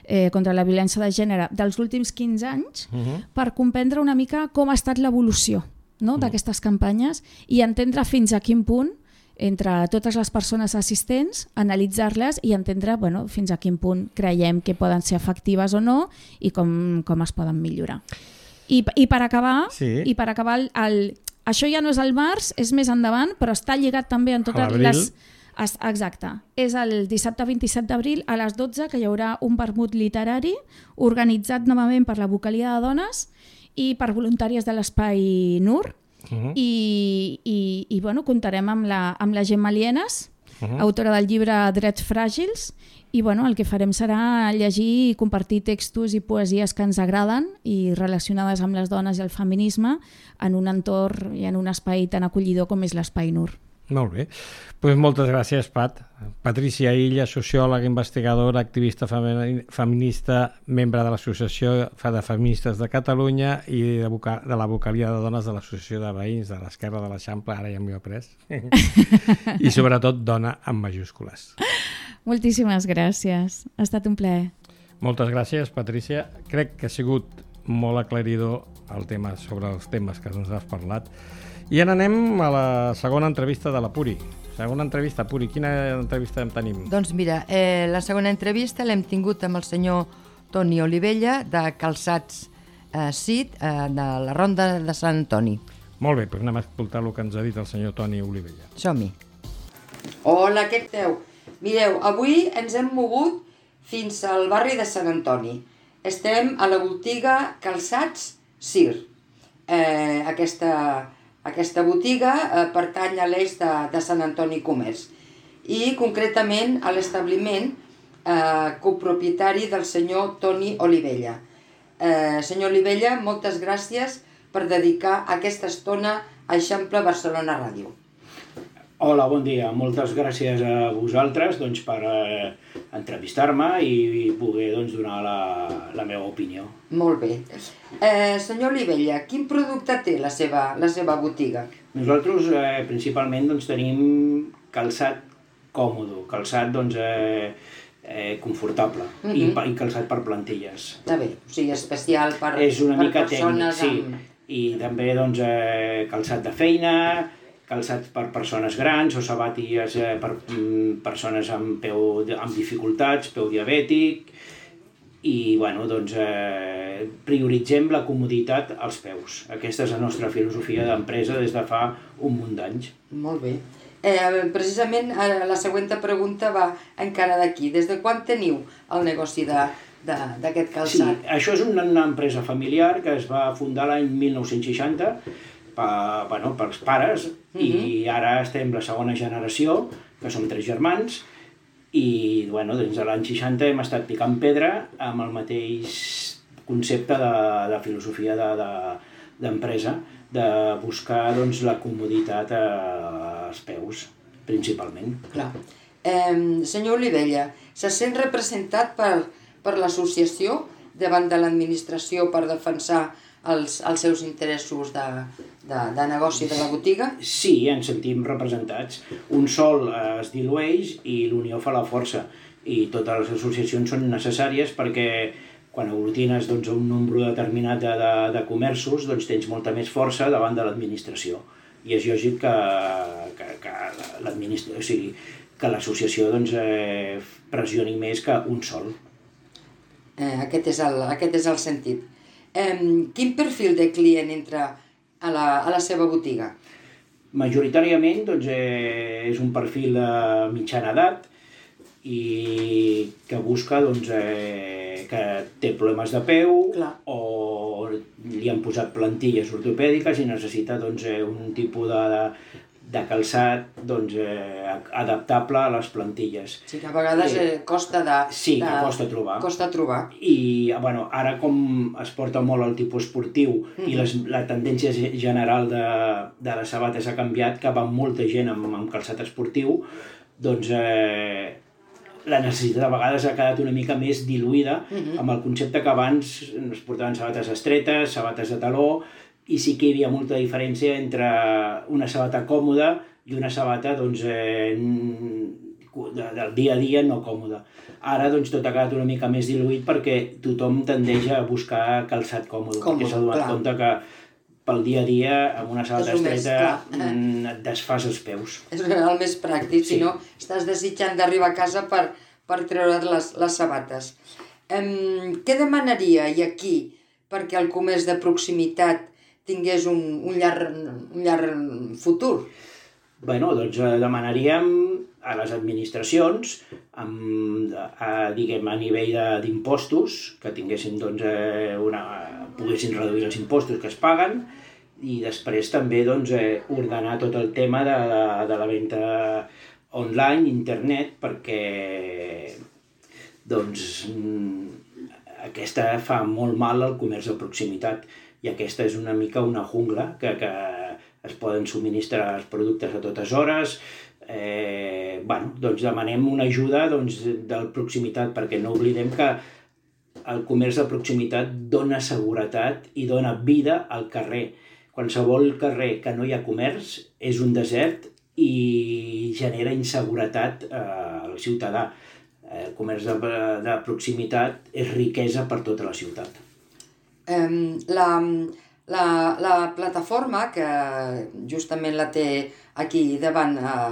eh, contra la violència de gènere dels últims quinze anys uh-huh. per comprendre una mica com ha estat l'evolució, no, uh-huh. d'aquestes campanyes i entendre fins a quin punt entre totes les persones assistents, analitzar-les i entendre bueno, fins a quin punt creiem que poden ser efectives o no i com, com es poden millorar. I, i per acabar, sí. i per acabar el, el, això ja no és al març, és més endavant, però està lligat també en totes les, Exacte. És el dissabte vint-i-set d'abril a les dotze que hi haurà un vermut literari organitzat novament per la Vocalia de Dones i per voluntàries de l'Espai N U R. Uh-huh. I, i, i bueno, comptarem amb la, amb la Gemma Lienes, uh-huh. autora del llibre Drets Fràgils, i bueno, el que farem serà llegir i compartir textos i poesies que ens agraden i relacionades amb les dones i el feminisme en un entorn i en un espai tan acollidor com és l'Espai N U R. Molt bé. Pues moltes gràcies, Pat. Patricia Illa, sociòloga, investigadora, activista feminista, membre de l'Associació de Feministes de Catalunya i de, voca de la Vocalia de Dones de l'Associació de Veïns de l'Esquerra de l'Eixample, ara ja m'ho he après, i sobretot dona amb majúscules. Moltíssimes gràcies. Ha estat un plaer. Moltes gràcies, Patricia. Crec que ha sigut molt aclaridor el tema sobre els temes que ens has parlat. I ara anem a la segona entrevista de la Puri. Segona entrevista, Puri, quina entrevista en tenim? Doncs mira, eh, la segona entrevista l'hem tingut amb el senyor Toni Olivella de Calçats eh, C I D eh, de la Ronda de Sant Antoni. Molt bé, doncs anem a escoltar el que ens ha dit el senyor Toni Olivella. Som-hi. Hola, què esteu? Mireu, avui ens hem mogut fins al barri de Sant Antoni. Estem a la botiga Calçats C I R. Eh, aquesta... Aquesta botiga eh, pertany a l'eix de, de Sant Antoni Comerç i concretament a l'establiment eh, copropietari del senyor Toni Olivella. Eh, senyor Olivella, moltes gràcies per dedicar aquesta estona a Eixample Barcelona Ràdio. Hola, bon dia. Moltes gràcies a vosaltres doncs, per eh, entrevistar-me i, i poder doncs, donar la, la meva opinió. Molt bé. Eh, senyor Olivella, quin producte té la seva, la seva botiga? Nosaltres eh, principalment doncs, tenim calçat còmode, calçat doncs, eh, eh, confortable uh -huh. i, i calçat per plantilles. Està bé, o sigui, especial per, És una per mica persones tècnic, amb... sí. I també doncs, eh, calçat de feina, calçats per persones grans o sabatilles eh, per mm, persones amb peu amb dificultats, peu diabètic, i bueno, doncs, eh, prioritzem la comoditat als peus. Aquesta és la nostra filosofia d'empresa des de fa un munt d'anys. Molt bé. Eh, precisament la següent pregunta va encara d'aquí. Des de quan teniu el negoci d'aquest calçat? Sí, això és una, una empresa familiar que es va fundar l'any mil nou-cents seixanta per, bueno, pels pares, uh-huh. i ara estem la segona generació, que som tres germans, i bueno, des de l'any seixanta hem estat picant pedra amb el mateix concepte de, de filosofia d'empresa, de, de buscar doncs, la comoditat als peus, principalment. Clar. Eh, senyor Olivella, se sent representat per, per l'associació davant de l'administració per defensar els, els seus interessos de, de, de negoci de la botiga? Sí, ens sentim representats. Un sol eh, es dilueix i l'unió fa la força. I totes les associacions són necessàries perquè quan aglutines doncs, un nombre determinat de, de, de comerços doncs, tens molta més força davant de l'administració. I és lògic que, que, que l'administració, o sigui, que l'associació doncs, eh, pressioni més que un sol. Eh, aquest, és el, aquest és el sentit. Eh, quin perfil de client entra a la, a la seva botiga? Majoritàriament doncs, eh, és un perfil de mitjana edat i que busca doncs, eh, que té problemes de peu. Clar. O li han posat plantilles ortopèdiques i necessita doncs, eh, un tipus de, de, de calçat doncs, eh, adaptable a les plantilles. Sí, que a vegades eh, costa de... Sí, de, que costa trobar. Costa trobar. I bueno, ara com es porta molt el tipus esportiu mm-hmm. i les, la tendència general de, de les sabates ha canviat, que va molta gent amb, amb calçat esportiu, doncs eh, la necessitat a vegades ha quedat una mica més diluïda mm-hmm. amb el concepte que abans es portaven sabates estretes, sabates de taló, i sí que hi havia molta diferència entre una sabata còmoda i una sabata doncs, eh, de, del dia a dia no còmoda. Ara doncs, tot ha quedat una mica més diluït perquè tothom tendeix a buscar calçat còmode, còmode perquè s'ha donat compte que pel dia a dia, amb una sabata estreta, mm, et desfas els peus. És el més pràctic, sí. Si no estàs desitjant d'arribar a casa per, per treure les, les sabates. Um, què demanaria i aquí perquè el comerç de proximitat tingués un, un, llarg, un llarg futur? Bueno, doncs demanaríem a les administracions, amb, a, diguem, a nivell d'impostos, que tinguessin, doncs, una, poguessin reduir els impostos que es paguen, i després també doncs, ordenar tot el tema de, de la venda online, internet, perquè doncs, aquesta fa molt mal al comerç de proximitat, i aquesta és una mica una jungla que, que es poden subministrar els productes a totes hores. Eh, bueno, doncs demanem una ajuda doncs, de proximitat, perquè no oblidem que el comerç de proximitat dona seguretat i dona vida al carrer. Qualsevol carrer que no hi ha comerç és un desert i genera inseguretat eh, al ciutadà. El comerç de, de proximitat és riquesa per tota la ciutat. Um, la, la, la plataforma, que justament la té aquí davant eh,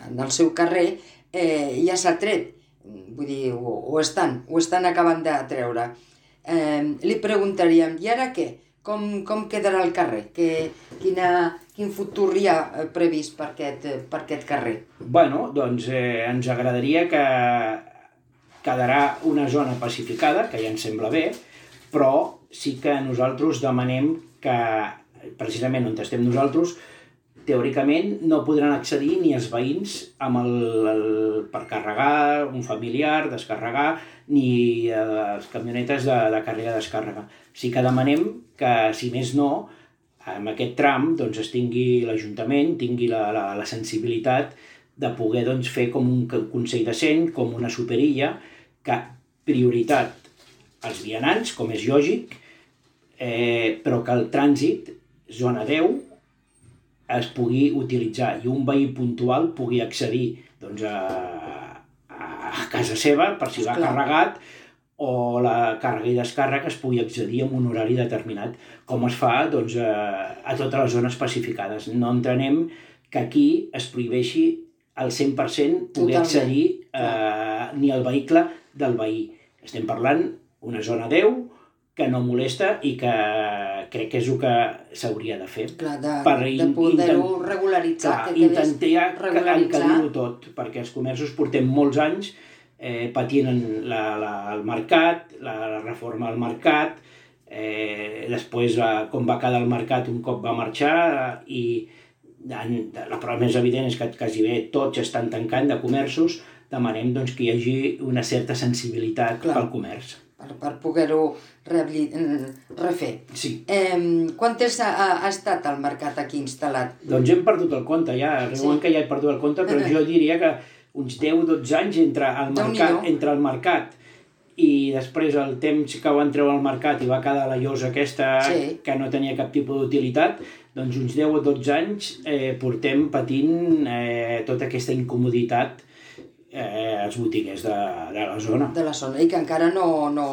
en el seu carrer, eh, ja s'ha tret, vull dir, ho, ho, estan, ho estan acabant de treure. Eh, li preguntaríem, i ara què? Com, com quedarà el carrer? Que, quina, quin futur hi ha previst per aquest, per aquest carrer? Bueno, doncs eh, ens agradaria que quedarà una zona pacificada, que ja ens sembla bé, però sí que nosaltres demanem que, precisament on estem nosaltres, teòricament no podran accedir ni els veïns amb el, el, per carregar un familiar, descarregar, ni eh, les camionetes de, de càrrega i descàrrega. Sí que demanem que, si més no, en aquest tram doncs, es tingui l'Ajuntament, tingui la, la, la sensibilitat de poder doncs, fer com un consell decent, com una superilla, que prioritat als vianants, com és lògic, eh, però que el trànsit, zona deu, es pugui utilitzar i un veí puntual pugui accedir doncs, a, a casa seva per si l'ha carregat, o la càrrega i descàrrega es pugui accedir en un horari determinat, com es fa doncs, a, a totes les zones pacificades. No entenem que aquí es prohibeixi al cent per cent poder Totalment. accedir eh, ni al vehicle del veí. Estem parlant una zona deu que no molesta i que crec que és el que s'hauria de fer. Clar, de, per de poder-ho regularitzar. Clar, intentar encallir-ho tot, perquè els comerços portem molts anys eh, patint la, la, el mercat, la, la reforma del mercat, eh, després eh, com va quedar el mercat un cop va marxar, eh, i la prova més evident és que quasi bé tots estan tancant de comerços. Demanem doncs, que hi hagi una certa sensibilitat Clar. pel comerç. Per, per poder-ho refer. Sí. Eh, quant temps ha, ha estat el mercat aquí instal·lat? Doncs hem perdut el compte, ja. Riuen sí. que ja he perdut el compte, però jo diria que uns deu o dotze anys entre el, mercat, entre el mercat i després el temps que van treure al mercat i va quedar la llosa aquesta sí. que no tenia cap tipus d'utilitat, doncs uns deu o dotze anys eh, portem patint eh, tota aquesta incomoditat eh, als botiguers de, de la zona. De la zona, i que encara no, no,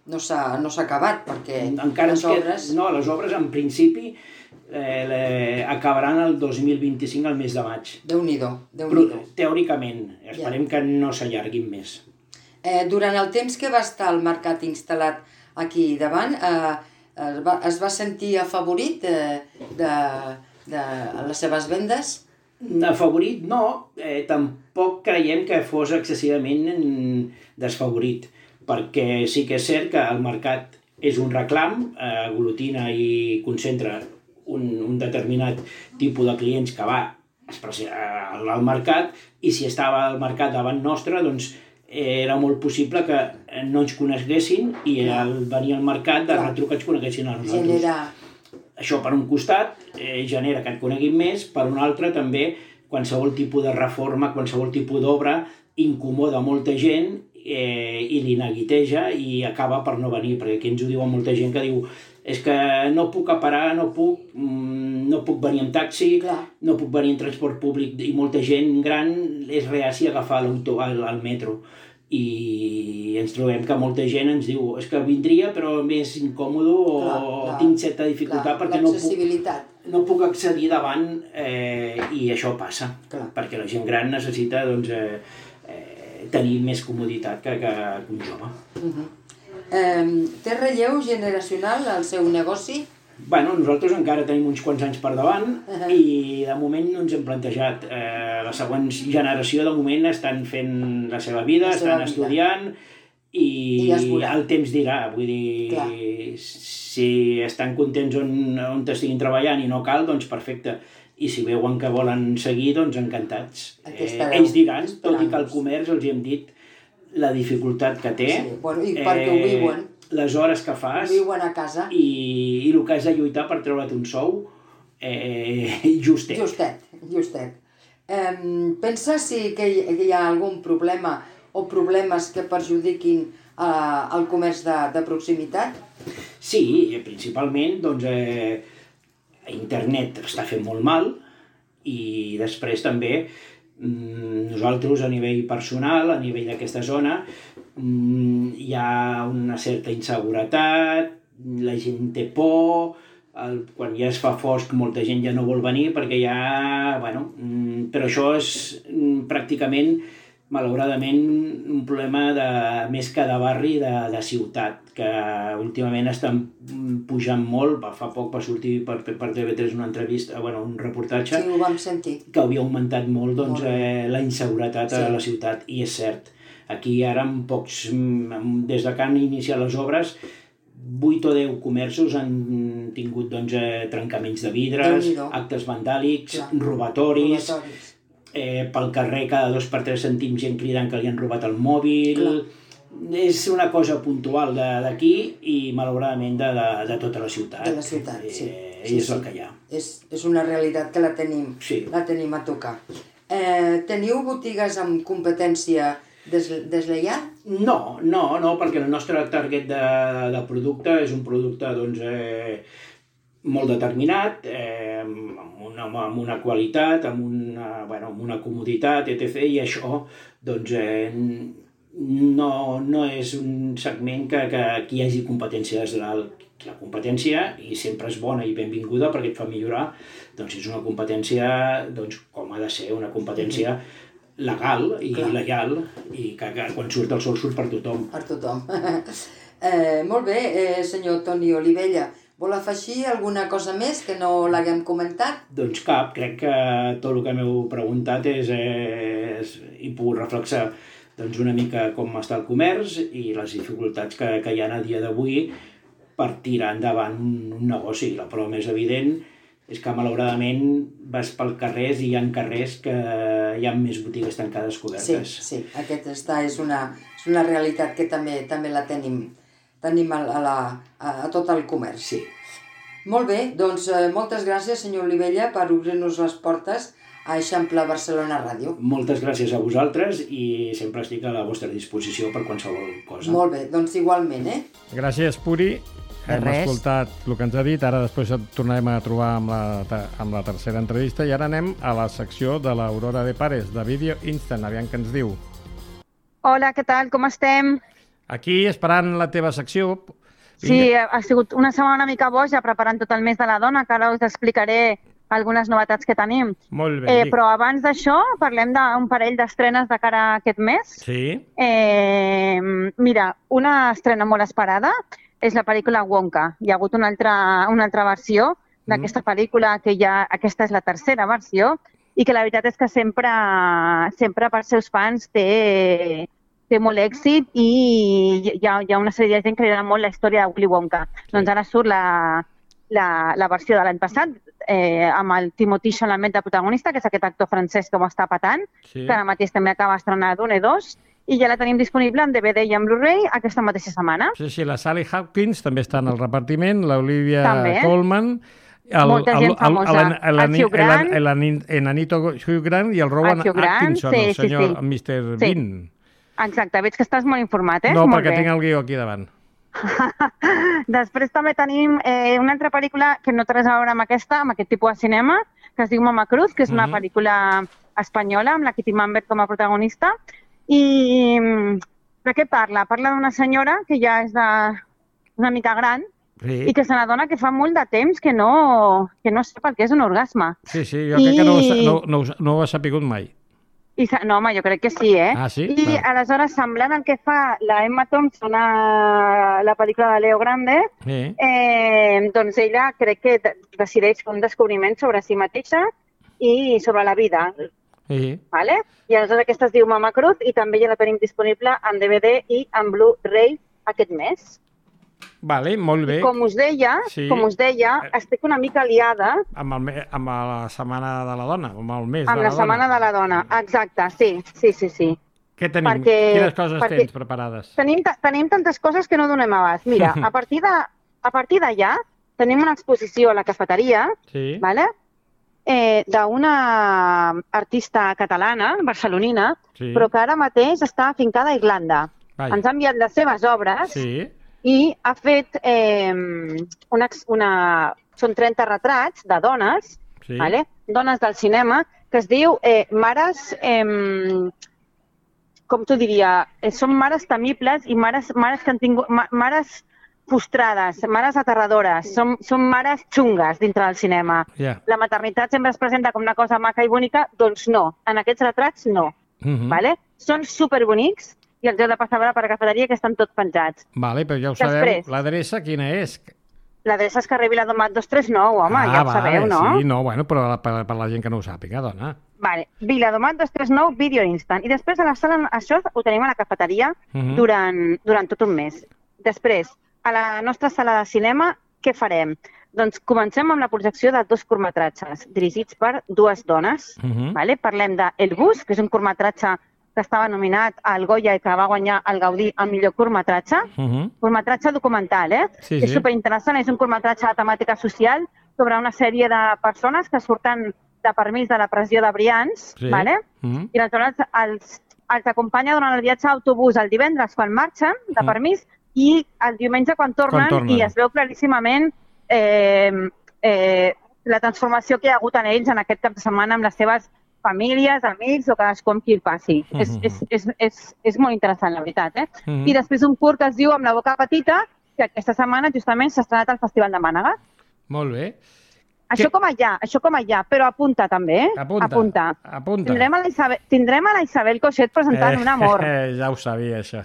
no s'ha no s'ha acabat, perquè encara les obres... Que, no, les obres en principi eh, le, acabaran el dos mil vint-i-cinc, al mes de maig. Déu-n'hi-do, Déu-n'hi-do. Teòricament, esperem ja. que no s'allarguin més. Eh, durant el temps que va estar el mercat instal·lat aquí davant, eh, es, va, es va sentir afavorit eh, de, de les seves vendes? Afavorit no, eh, tampoc creiem que fos excessivament desfavorit, perquè sí que és cert que el mercat és un reclam, eh, aglutina i concentra un, un determinat tipus de clients que va al mercat, i si estava al mercat davant nostre, doncs era molt possible que no ens coneguessin i al venir al mercat de retruc ens coneguessin a nosaltres. Genera... Això per un costat eh, genera que et coneguin més, per un altre també qualsevol tipus de reforma, qualsevol tipus d'obra incomoda molta gent eh, i li neguiteja i acaba per no venir, perquè aquí ens ho diuen molta gent que diu és que no puc aparar, no puc, no puc venir en taxi, Clar. no puc venir en transport públic, i molta gent gran és reaci a agafar l'auto, al, al metro. I ens trobem que molta gent ens diu és que vindria però més incòmodo o clar, clar, tinc certa dificultat clar, perquè no puc, no puc accedir davant eh, i això passa, clar. Perquè la gent gran necessita doncs, eh, eh, tenir més comoditat que, que un jove. Uh-huh. Eh, té relleu generacional el seu negoci? Bueno, nosaltres encara tenim uns quants anys per davant uh-huh. i de moment no ens hem plantejat. Eh, la següent generació de moment estan fent la seva vida, la seva estan vida. estudiant i, I el temps dirà. Vull dir, Clar. si estan contents on, on estiguin treballant i no cal, doncs perfecte. I si veuen que volen seguir, doncs encantats. Eh, ells diran, tot i que el comerç els hi hem dit la dificultat que té. Sí, bueno, i perquè eh, ho viuen. Les hores que fas viuen a casa i, i el que has de lluitar per treure't un sou eh, justet. Justet, justet. Eh, pensa si que hi, que hi ha algun problema o problemes que perjudiquin eh, el comerç de, de proximitat? Sí, principalment doncs, eh, internet està fent molt mal i després també nosaltres a nivell personal, a nivell d'aquesta zona, hi ha una certa inseguretat, la gent té por, el, quan ja es fa fosc molta gent ja no vol venir perquè ja, bueno, però això és pràcticament, malauradament, un problema de, més que de barri, de, de ciutat, que últimament estan pujant molt. Fa poc va sortir per, per T V tres una entrevista, bueno, un reportatge sí, ho vam sentir. Que havia augmentat molt, doncs, molt. Eh, la inseguretat sí. a la ciutat, i és cert. Aquí ara, en pocs, des de que han iniciat les obres, vuit o deu comerços han tingut doncs, eh, trencaments de vidres, actes vandàlics, Clar. robatoris, robatoris. Eh, pel carrer cada dos per tres sentim gent cridant que li han robat el mòbil. Clar. És una cosa puntual d'aquí i malauradament de, de, de tota la ciutat. De la ciutat, sí. Eh, sí és sí. el que hi ha. És, és una realitat que la tenim, sí. la tenim a tocar. Eh, teniu botigues amb competència des, deslleial? No, no, no, perquè el nostre target de, de producte és un producte doncs, eh, molt determinat, eh, amb, una, amb una qualitat, amb una, bueno, amb una comoditat, etcètera. I això doncs, eh, no, no és un segment que, que aquí hi hagi competència. La, la competència, i sempre és bona i benvinguda perquè et fa millorar, doncs és una competència doncs, com ha de ser, una competència legal i Clar. lleial, i que, que quan surt el sol surt per tothom. Per tothom. eh, molt bé, eh, senyor Toni Olivella. Vol afegir alguna cosa més que no l'haguem comentat? Doncs cap, crec que tot el que m'heu preguntat és, és i puc reflexar doncs, una mica com està el comerç i les dificultats que, que hi ha a dia d'avui per tirar endavant un, un negoci. La prova més evident és que malauradament vas pel carrers i hi ha carrers que hi ha més botigues tancades cobertes. Sí, sí, aquesta és una, és una realitat que també, també la tenim. tenim a, la, a, a tot el comerç. Sí. Molt bé, doncs eh, moltes gràcies, senyor Olivella, per obrir-nos les portes a Eixample Barcelona Ràdio. Moltes gràcies a vosaltres i sempre estic a la vostra disposició per qualsevol cosa. Molt bé, doncs igualment, eh? Gràcies, Puri. Hem Res. escoltat el que ens ha dit, ara després et tornarem a trobar amb la, amb la tercera entrevista i ara anem a la secció de l'Aurora de Pares, de Vídeo Instant, aviam què ens diu. Hola, què tal? Com estem? Aquí, esperant la teva secció. Vinga. Sí, ha sigut una setmana una mica boja preparant tot el mes de la dona, que ara us explicaré algunes novetats que tenim. Molt bé. Eh, però abans d'això, parlem d'un parell d'estrenes de cara a aquest mes. Sí. Eh, mira, una estrena molt esperada és la pel·lícula Wonka. Hi ha hagut una altra, una altra versió d'aquesta pel·lícula, que ja, aquesta és la tercera versió, i que la veritat és que sempre, sempre per seus fans té... té molt èxit i hi ha, hi ha una sèrie de gent que li agrada molt la història de Willy Wonka. Sí. Doncs ara surt la, la, la versió de l'any passat, eh, amb el Timothée Chalamet de protagonista, que és aquest actor francès que ho està patant, sí. que ara mateix també acaba d'estrenar Dune dos, i ja la tenim disponible en D V D i en Blu-ray aquesta mateixa setmana. Sí, sí, la Sally Hawkins també està en el repartiment, l'Olivia Colman, el, molta gent famosa, el, el, el Hugh Grant, l'Enanito Hugh Grant i el Rowan Atkinson, sí, el senyor sí, sí. mister Sí. Bean. Exacte, veig que estàs molt informat, eh? No, molt perquè bé. tinc el guió aquí davant. Després també tenim eh, una altra pel·lícula que no té res a veure amb aquesta, amb aquest tipus de cinema, que es diu Mama Cruz, que és una uh-huh. pel·lícula espanyola amb la Kitty Mambert com a protagonista. I de què parla? Parla d'una senyora que ja és de, una mica gran sí. i que se n'adona que fa molt de temps que no, que no sap el que és un orgasme. Sí, sí, jo I... crec que no, no, no, no ho ha sapigut mai. I, no, home, jo crec que sí, eh? Ah, sí? I Vale. aleshores, semblant al que fa la Emma Thompson a la pel·lícula de Leo Grande, Sí. eh, doncs ella crec que de- decideix fer un descobriment sobre si mateixa i sobre la vida. Sí. Vale? I aleshores aquesta es diu Mama Cruz i també ja la tenim disponible en D V D i en Blu-ray aquest mes. Vale, molt bé. Com us deia, Sí. com us deia, estic una mica liada Amb, el, me- amb la setmana de la dona, amb el mes amb de la la Setmana dona. de la Dona. Exacte, sí, sí, sí, sí. Què tenim? perquè- Quines coses perquè- tens preparades? Tenim, ta- tenim tantes coses que no donem abast. Mira, a partir de, a partir d'allà tenim una exposició a la cafeteria, Sí. vale? eh, d'una artista catalana, barcelonina, Sí. però que ara mateix està afincada a Irlanda. Vaja. Ens ha enviat les seves obres Sí. i ha fet eh, una, ex- una... Són trenta retrats de dones, Sí. vale? Dones del cinema, que es diu eh, Mares... Eh, com t'ho diria? Eh, són mares temibles i mares, mares que han tingut... Ma, mares frustrades, mares aterradores, són, són mares xungues dintre del cinema. Ja. La maternitat sempre es presenta com una cosa maca i bonica, doncs no, en aquests retrats no. Mhm. Vale? Són superbonics i els heu de passar a veure per la cafeteria que estan tots penjats. Vale, però ja ho sabeu. Després. L'adreça quina és? L'adreça és carrer Viladomat dos cents i trenta nou, home, ah, ja ho vale, sabeu, no? Sí, no, bueno, però per, per la gent que no ho sàpiga, dona. Vale, Viladomat dos cents i trenta nou, Video Instant. I després a la sala, això ho tenim a la cafeteria Mhm. durant, durant tot un mes. Després, a la nostra sala de cinema, què farem? Doncs comencem amb la projecció de dos curtmetratges dirigits per dues dones. Mhm. Vale? Parlem de El Bus, que és un curtmetratge que estava nominat al Goya i que va guanyar el Gaudí al millor curtmetratge. Mhm. Curtmetratge documental, eh? Sí, és sí. superinteressant, és un curtmetratge de temàtica social sobre una sèrie de persones que surten de permís de la pressió de Brians, Sí. vale? Mhm. I aleshores els, els acompanya durant el viatge a autobús el divendres quan marxen de Mm. permís i el diumenge quan tornen, Quan tornen. i es veu claríssimament eh, eh, la transformació que hi ha hagut en ells en aquest cap de setmana amb les seves famílies, amics o cadascú amb qui el passi. Mhm. és, és, és, és, és molt interessant, la veritat. Eh? Mhm. I després un curt que es diu Amb la boca petita, que aquesta setmana justament s'ha estrenat al Festival de Mànega. Molt bé. Això com allà, això com allà, però apunta també, eh? Apunta. Apunta. Apunta. Tindrem a la Isabel, tindrem a la Isabel Coixet presentant un amor. Eh, ja ho sabia, això.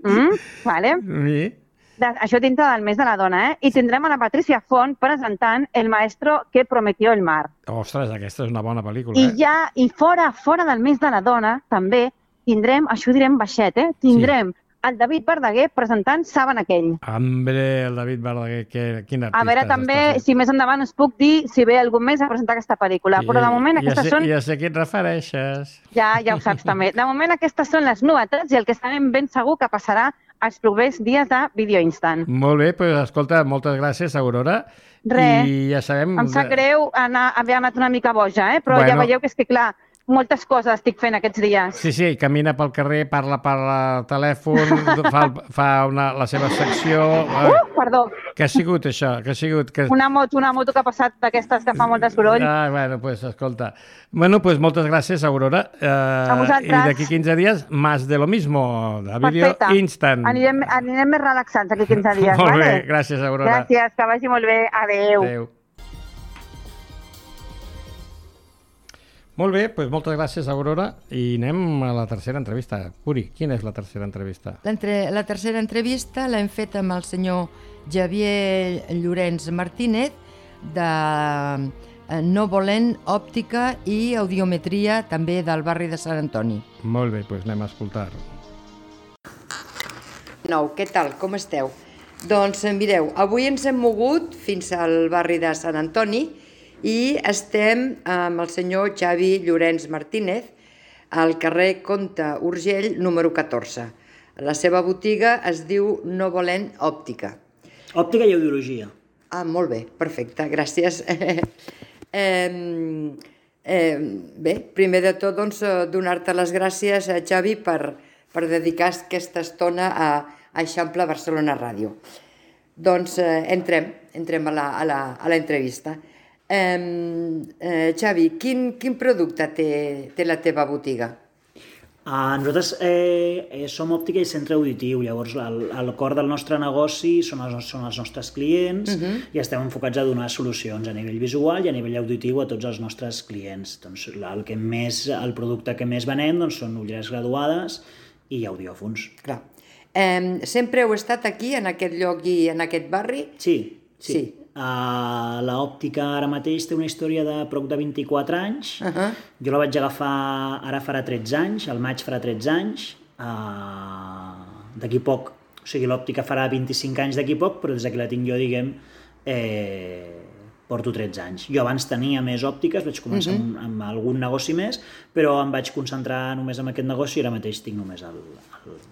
Mm? Vale? Sí. De, això dintre del mes de la dona, eh? I tindrem a la Patricia Font presentant El maestro que prometió el mar. Ostres, aquesta és una bona pel·lícula, I eh? ja, i fora, fora del mes de la dona, també tindrem, això ho direm baixet, eh? Tindrem el David Verdaguer presentant Saben aquell. Hombre, el David Verdaguer, que, quin artista A veure, també, si més endavant us puc dir si ve algun mes a presentar aquesta pel·lícula, però de moment ja aquestes sé, són... Ja sé a qui et refereixes. Ja, ja ho saps també. De moment aquestes són les novetats i el que sabem ben segur que passarà els propers dies de Video Instant. Molt bé, doncs escolta, moltes gràcies, Aurora. Res. I ja sabem... Em sap greu anar, haver anat una mica boja, eh? però Bueno. ja veieu que és que, clar, moltes coses estic fent aquests dies. Sí, sí, camina pel carrer, parla per el telèfon, fa, el- fa una, la seva secció... Uh, perdó, Què ha sigut això? Què ha sigut? Que... una moto, una moto que ha passat d'aquestes que fa molt de soroll. Ah, bueno, pues escolta. Bueno, pues moltes gràcies, Aurora. Eh, A vosaltres. I d'aquí quinze dies, más de lo mismo, de Video Perfecte. Instant. Anirem, anirem més relaxats aquí quinze dies, Molt vale? bé, gràcies, Aurora. Gràcies, que vagi molt bé. Adéu. Adéu. Molt bé, doncs moltes gràcies, Aurora, i anem a la tercera entrevista. Puri, quina és la tercera entrevista? L'entre- La tercera entrevista l'hem fet amb el senyor Javier Llorenç Martínez de eh, No Volent Òptica i Audiometria, també del barri de Sant Antoni. Molt bé, doncs anem a escoltar. Nou, què tal? Com esteu? Doncs eh, mireu, avui ens hem mogut fins al barri de Sant Antoni i estem amb el senyor Xavi Llorenç Martínez al carrer Comte Urgell número catorze. La seva botiga es diu No Volent Òptica. Òptica i audiologia. Ah, molt bé, perfecte, gràcies. eh, eh, bé, primer de tot, doncs, eh, donar-te les gràcies, eh, Xavi, per, per dedicar aquesta estona a, a Eixample Barcelona Ràdio. Doncs eh, entrem, entrem a la, a la, a la entrevista. Eh, eh, Xavi, quin, quin producte té, té la teva botiga? Uh, nosaltres eh, eh, som òptica i centre auditiu, llavors el, el cor del nostre negoci són els, són els nostres clients uh-huh. i estem enfocats a donar solucions a nivell visual i a nivell auditiu a tots els nostres clients. Doncs, el, que més, el producte que més venem doncs, són ulleres graduades i audiòfons. Clar. Eh, sempre heu estat aquí, en aquest lloc i en aquest barri? Sí, sí. sí. Uh, l'òptica ara mateix té una història de prop de vint-i-quatre anys. Uh-huh. Jo la vaig agafar ara farà tretze anys, al maig farà tretze anys. Uh, d'aquí poc, o sigui, l'òptica farà vint-i-cinc anys d'aquí poc, però des que la tinc jo, diguem, eh, porto tretze anys. Jo abans tenia més òptiques, vaig començar uh-huh. amb, amb algun negoci més, però em vaig concentrar només en aquest negoci i ara mateix tinc només el, el,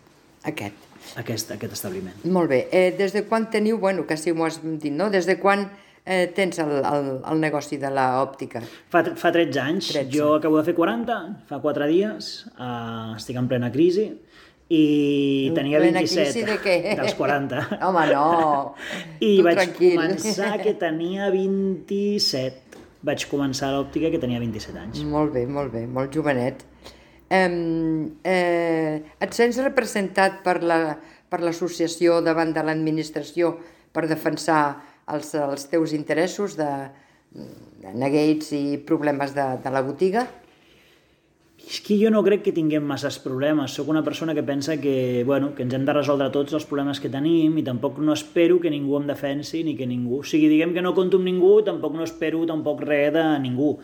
aquest. Aquest, aquest establiment. Molt bé. Eh, des de quan teniu, bueno, que si m'ho has dit, no? Des de quan eh, tens el, el, el negoci de l'òptica? Fa, fa tretze anys. tretze. Jo acabo de fer quaranta, fa quatre dies, uh, estic en plena crisi i en tenia vint-i-set crisi de què? dels quaranta. Home, no! I tu vaig tranquil. començar que tenia vint-i-set. Vaig començar a l'òptica que tenia vint-i-set anys. Molt bé, molt bé, molt jovenet. Eh, eh, et sents representat per la, per l'associació davant de l'administració per defensar els, els teus interessos de, de neguits i problemes de, de la botiga? És que jo no crec que tinguem masses problemes. Soc una persona que pensa que, bueno, que ens hem de resoldre tots els problemes que tenim i tampoc no espero que ningú em defensi ni que ningú... O sigui, diguem que no compto amb ningú, tampoc no espero tampoc res de ningú.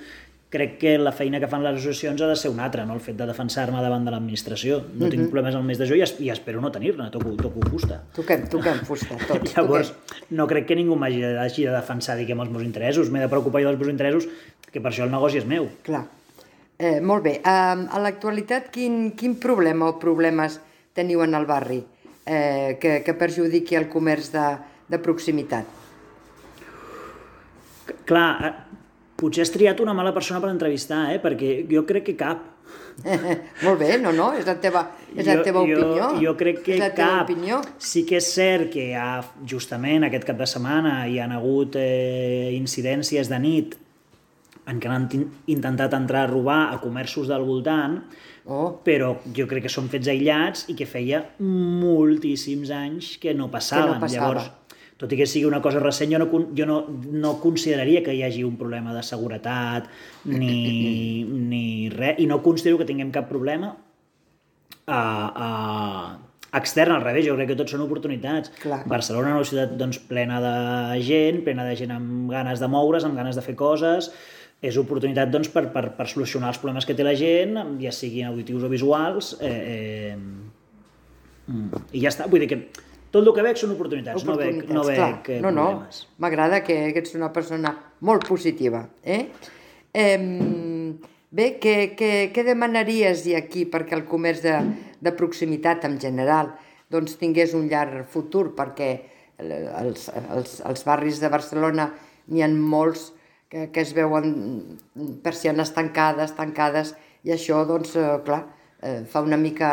Crec que la feina que fan les associacions ha de ser una altra, no? El fet de defensar-me davant de l'administració. No uh-huh. tinc problemes al mes de juny i espero no tenir-ne, toco, toco fusta. Toquem, toquem fusta, tots. Llavors, toquem. No crec que ningú m'hagi de, de defensar, diguem, els meus interessos. M'he de preocupar jo dels meus interessos, que per això el negoci és meu. Clar. Eh, molt bé. Um, a l'actualitat, quin, quin problema o problemes teniu en el barri eh, que, que perjudiqui el comerç de, de proximitat? Clar, potser has triat una mala persona per entrevistar, eh? Perquè jo crec que cap. Molt bé, no, no, és la teva, és la teva jo, opinió. Jo, jo crec que és la teva cap. Opinió. Sí que és cert que ha, justament aquest cap de setmana hi han hagut eh, incidències de nit en què han intentat entrar a robar a comerços del voltant, oh. però jo crec que són fets aïllats i que feia moltíssims anys que no passaven. Que no passava. Llavors, tot i que sigui una cosa recent, jo, no, jo no, no consideraria que hi hagi un problema de seguretat ni, ni res, i no considero que tinguem cap problema a, a, extern, al revés, jo crec que tots són oportunitats. Clar. Barcelona és una ciutat doncs, plena de gent, plena de gent amb ganes de moure's, amb ganes de fer coses, és oportunitat doncs, per, per, per solucionar els problemes que té la gent, ja siguin auditius o visuals, eh, eh, i ja està, vull dir que tot el que veig són oportunitats, oportunitats no veig, no veig no, problemes. No, m'agrada que, que ets una persona molt positiva. Eh? Eh, bé, què, què, què demanaries aquí perquè el comerç de, de proximitat en general doncs, tingués un llarg futur? Perquè els, els, els barris de Barcelona n'hi ha molts que, que es veuen persianes tancades, tancades, i això, doncs, eh, clar, eh, fa una mica...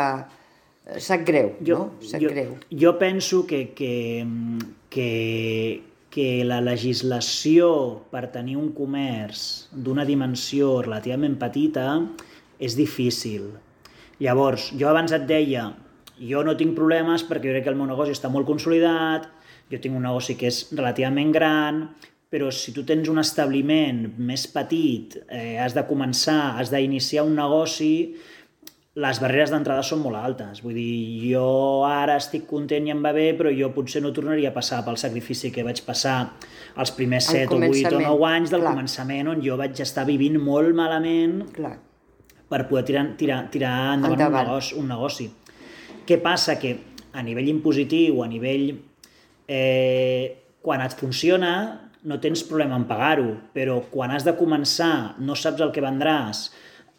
Sap greu, jo, no? Sap jo, greu. Jo penso que, que, que, que la legislació per tenir un comerç d'una dimensió relativament petita és difícil. Llavors, jo abans et deia, jo no tinc problemes perquè jo crec que el meu negoci està molt consolidat, jo tinc un negoci que és relativament gran, però si tu tens un establiment més petit, eh, has de començar, has d'iniciar un negoci, les barreres d'entrada són molt altes. Vull dir, jo ara estic content i em va bé, però jo potser no tornaria a passar pel sacrifici que vaig passar els primers set o vuit o nou anys del Clar. començament, on jo vaig estar vivint molt malament Clar. per poder tirar, tirar, tirar endavant, endavant. Un, negoci, un negoci. Què passa? Que a nivell impositiu, a nivell... Eh, quan et funciona, no tens problema en pagar-ho, però quan has de començar, no saps el que vendràs,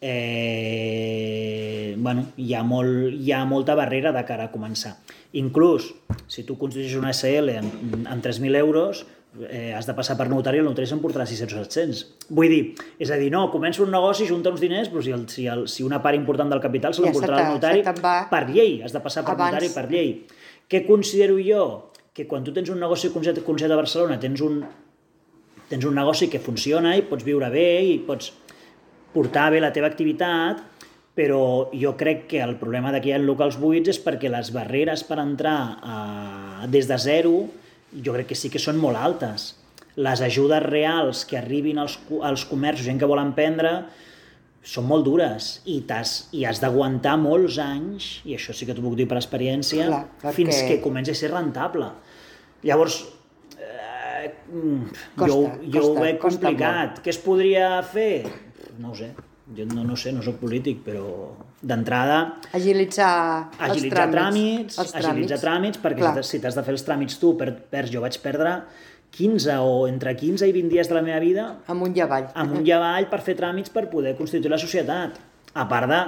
Eh, bueno, hi ha, molt, hi ha molta barrera de cara a començar. Inclús, si tu constitueixes una S L amb, amb tres mil euros, eh, has de passar per notari i el notari se'n portarà sis-cents o set-cents. Vull dir, és a dir, no, comença un negoci, junta uns diners, però si, el, si, el, si una part important del capital se l'emportarà el notari per llei, has de passar per Abans. notari per llei. Què considero jo? Que quan tu tens un negoci concret a Barcelona, tens un, tens un negoci que funciona i pots viure bé i pots portar bé la teva activitat, però jo crec que el problema de que hi ha locals buits és perquè les barreres per entrar a, des de zero jo crec que sí que són molt altes. Les ajudes reals que arribin als, als comerços, gent que vol emprendre, són molt dures i, t'has, i has d'aguantar molts anys, i això sí que t'ho puc dir per experiència, clar, perquè... fins que comenci a ser rentable. Llavors, eh, costa, jo, jo costa, ho veig complicat. Què es podria fer? No ho sé. Jo no, no sé, no soc polític, però d'entrada... Agilitzar, agilitzar els tràmits. tràmits, els agilitzar tràmits, perquè clar. si t'has de fer els tràmits tu, per, per, jo vaig perdre quinze o entre quinze i vint dies de la meva vida amunt i avall, amunt i avall per fer tràmits per poder constituir la societat. A part de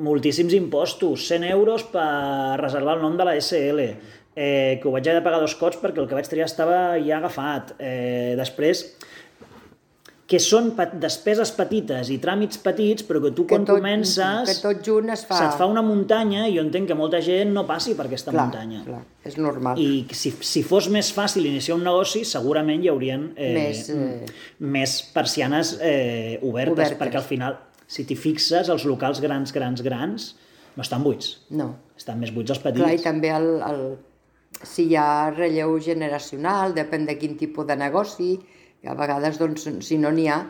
moltíssims impostos, cent euros per reservar el nom de la S L, eh, que ho vaig haver de pagar dos cops perquè el que vaig triar estava ja agafat. Eh, després... que són despeses petites i tràmits petits, però que tu quan que tot, comences que tot junt es fa... se't fa una muntanya i jo entenc que molta gent no passi per aquesta clar, muntanya. Clar, és normal. I si, si fos més fàcil iniciar un negoci, segurament hi haurien eh, més, eh... més persianes eh, obertes, obertes, perquè al final, si t'hi fixes, els locals grans, grans, grans, no estan buits. No. Estan més buits els petits. Clar, i també el, el... si hi ha relleu generacional, depèn de quin tipus de negoci, a vegades, doncs, si no n'hi ha...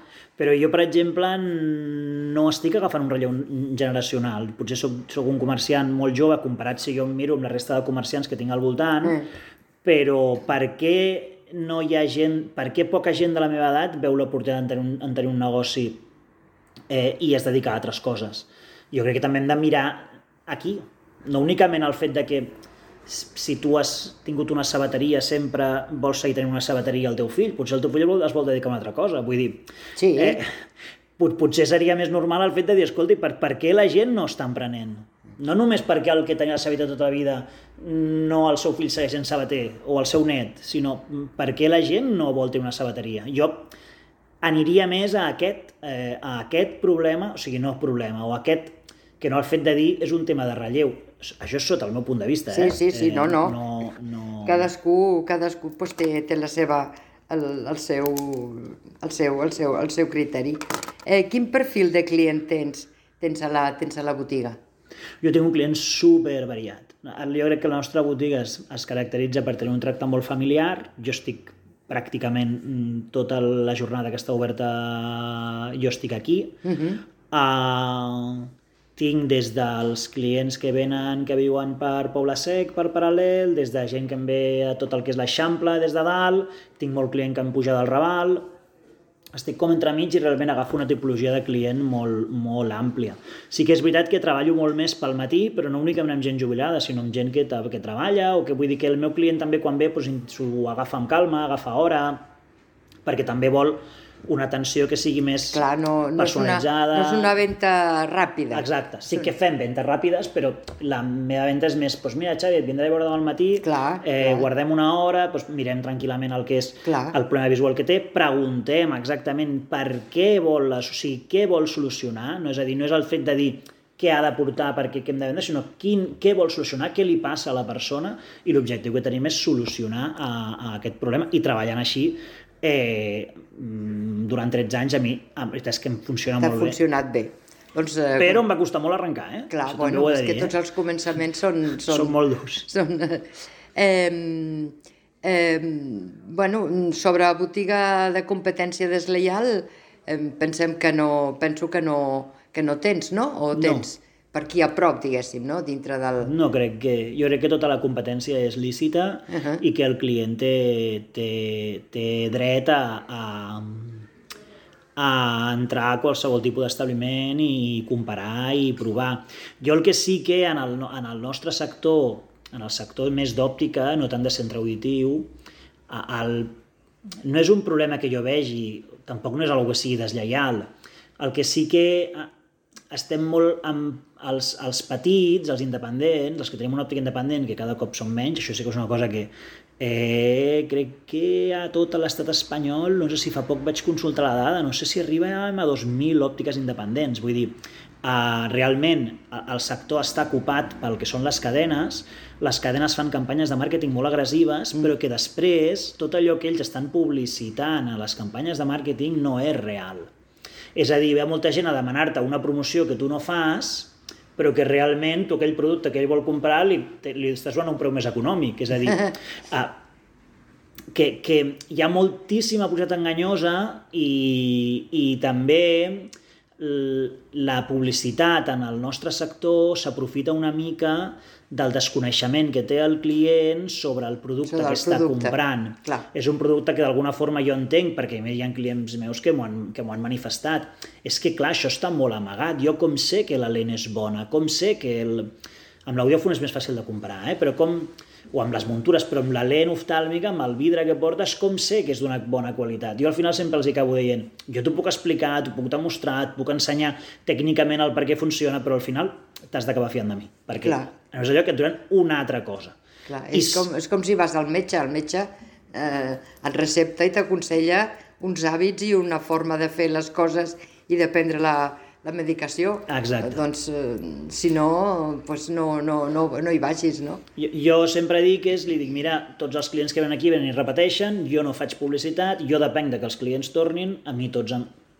Però jo, per exemple, no estic agafant un relleu generacional. Potser soc, soc un comerciant molt jove, comparat si jo em miro amb la resta de comerciants que tinc al voltant, mm. però per què no hi ha gent, per què poca gent de la meva edat veu l'oportunitat en, tenir un, en tenir un negoci eh, i es dedica a altres coses? Jo crec que també hem de mirar aquí, no únicament el fet de que si tu has tingut una sabateria sempre vols seguir tenint una sabateria al teu fill, potser el teu fill es vol dedicar a una altra cosa, vull dir, sí. eh, pot, potser seria més normal el fet de dir, escolti, per, per què la gent no està emprenent? No només perquè el que tenia la sabateria tota la vida no el seu fill segueix sent sabater o el seu net, sinó perquè la gent no vol tenir una sabateria. Jo aniria més a aquest, eh, a aquest problema, o sigui, no problema, o aquest que no el fet de dir és un tema de relleu. Això és sota el meu punt de vista, eh? Sí, sí, sí, no, no. no, no... Cadascú, cadascú pues, té, té la seva, el, el, seu, el, seu, el, seu, el seu criteri. Eh, quin perfil de client tens, tens, a la, tens a la botiga? Jo tinc un client super variat. Jo crec que la nostra botiga es, es caracteritza per tenir un tracte molt familiar. Jo estic pràcticament tota la jornada que està oberta, jo estic aquí. Uh-huh. Uh, Tinc des dels clients que venen, que viuen per Poble Sec, per Paral·lel, des de gent que em ve a tot el que és l'Eixample, des de dalt, tinc molt client que em puja del Raval, estic com entremig i realment agafo una tipologia de client molt, molt àmplia. Sí que és veritat que treballo molt més pel matí, però no únicament amb gent jubilada, sinó amb gent que, que treballa, o que vull dir que el meu client també quan ve doncs, s'ho agafa amb calma, agafa hora, perquè també vol una atenció que sigui més Clar, no, no personalitzada. És una, no és una venda ràpida. Exacte, sí que fem ventes ràpides, però la meva venda és més, doncs mira Xavi, et vindré a veure demà al matí, clar, eh, clar. guardem una hora, doncs mirem tranquil·lament el que és clar. el problema visual que té, preguntem exactament per què vol, o sigui, què vol solucionar, no és a dir, no és el fet de dir què ha de portar, per què hem de vendre, sinó quin, què vol solucionar, què li passa a la persona, i l'objectiu que tenim és solucionar a, a aquest problema, i treballant així Eh, durant tretze anys a mi, la veritat és que em funciona molt bé. T'ha funcionat bé. Doncs, eh, Però em va costar molt arrencar, eh? Clar, Això bueno, és dir, que tots eh? els començaments són... Són, són molt durs. Són, eh, eh, bueno, sobre botiga de competència deslleial, eh, pensem que no, penso que no, que no tens, no? O tens? No. Per aquí a prop, diguéssim, no? Dintre del... No crec que... Jo crec que tota la competència és lícita uh-huh. i que el client té, té, té dret a, a, a entrar a qualsevol tipus d'establiment i comparar i provar. Jo el que sí que en el, en el nostre sector, en el sector més d'òptica, no tant de centre auditiu, el, no és un problema que jo vegi, tampoc no és una que sigui deslleial. El que sí que estem molt amb els, els petits, els independents, els que tenim una òptica independent, que cada cop són menys, això sí que és una cosa que eh, crec que a tot l'estat espanyol, no sé si fa poc vaig consultar la dada, no sé si arriba a dos mil òptiques independents, vull dir, eh, realment el sector està ocupat pel que són les cadenes, les cadenes fan campanyes de màrqueting molt agressives, mm. però que després tot allò que ells estan publicitant a les campanyes de màrqueting no és real. És a dir, ve molta gent a demanar-te una promoció que tu no fas, però que realment tu aquell producte que ell vol comprar li, li estàs donant un preu més econòmic. És a dir, uh, que, que hi ha moltíssima publicitat enganyosa i, i també la publicitat en el nostre sector s'aprofita una mica del desconeixement que té el client sobre el producte que està producte. comprant. Clar. És un producte que d'alguna forma jo entenc, perquè hi ha clients meus que m'ho han, que m'ho han manifestat. És que, clar, això està molt amagat. Jo com sé que la lent és bona, com sé que... El... Amb l'audiòfon és més fàcil de comprar, eh? Però com... o amb les muntures, però amb la lent oftàlmica, amb el vidre que portes, com sé que és d'una bona qualitat? Jo al final sempre els acabo dient, jo t'ho puc explicar, t'ho puc demostrar, et puc ensenyar tècnicament el per què funciona, però al final t'has d'acabar fiant de mi, perquè Clar. no és allò que et donen una altra cosa. Clar, és, I... com, és com si vas al metge, el metge eh, et recepta i t'aconsella uns hàbits i una forma de fer les coses i de prendre la, la medicació. Exacte. Doncs, eh, si no, doncs no, no, no, no hi vagis, no? Jo, jo sempre dic, és, li dic, mira, tots els clients que venen aquí venen i repeteixen, jo no faig publicitat, jo depenc de que els clients tornin, a mi tots,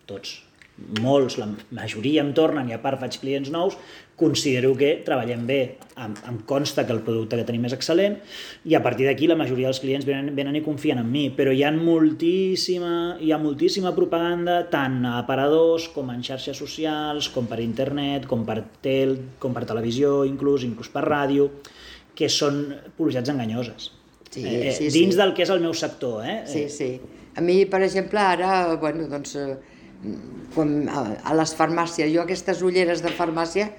tots, molts, la majoria em tornen i a part faig clients nous, considero que treballem bé, em, em consta que el producte que tenim és excel·lent i a partir d'aquí la majoria dels clients venen, venen i confien en mi, però hi ha moltíssima, hi ha moltíssima propaganda tant a aparadors com en xarxes socials, com per internet, com per tel, com per televisió, inclús, inclús per ràdio, que són publicitats enganyoses. Sí, eh, sí, dins sí. del que és el meu sector. Eh? Sí, sí. A mi, per exemple, ara, bueno, doncs, com a, a les farmàcies, jo aquestes ulleres de farmàcia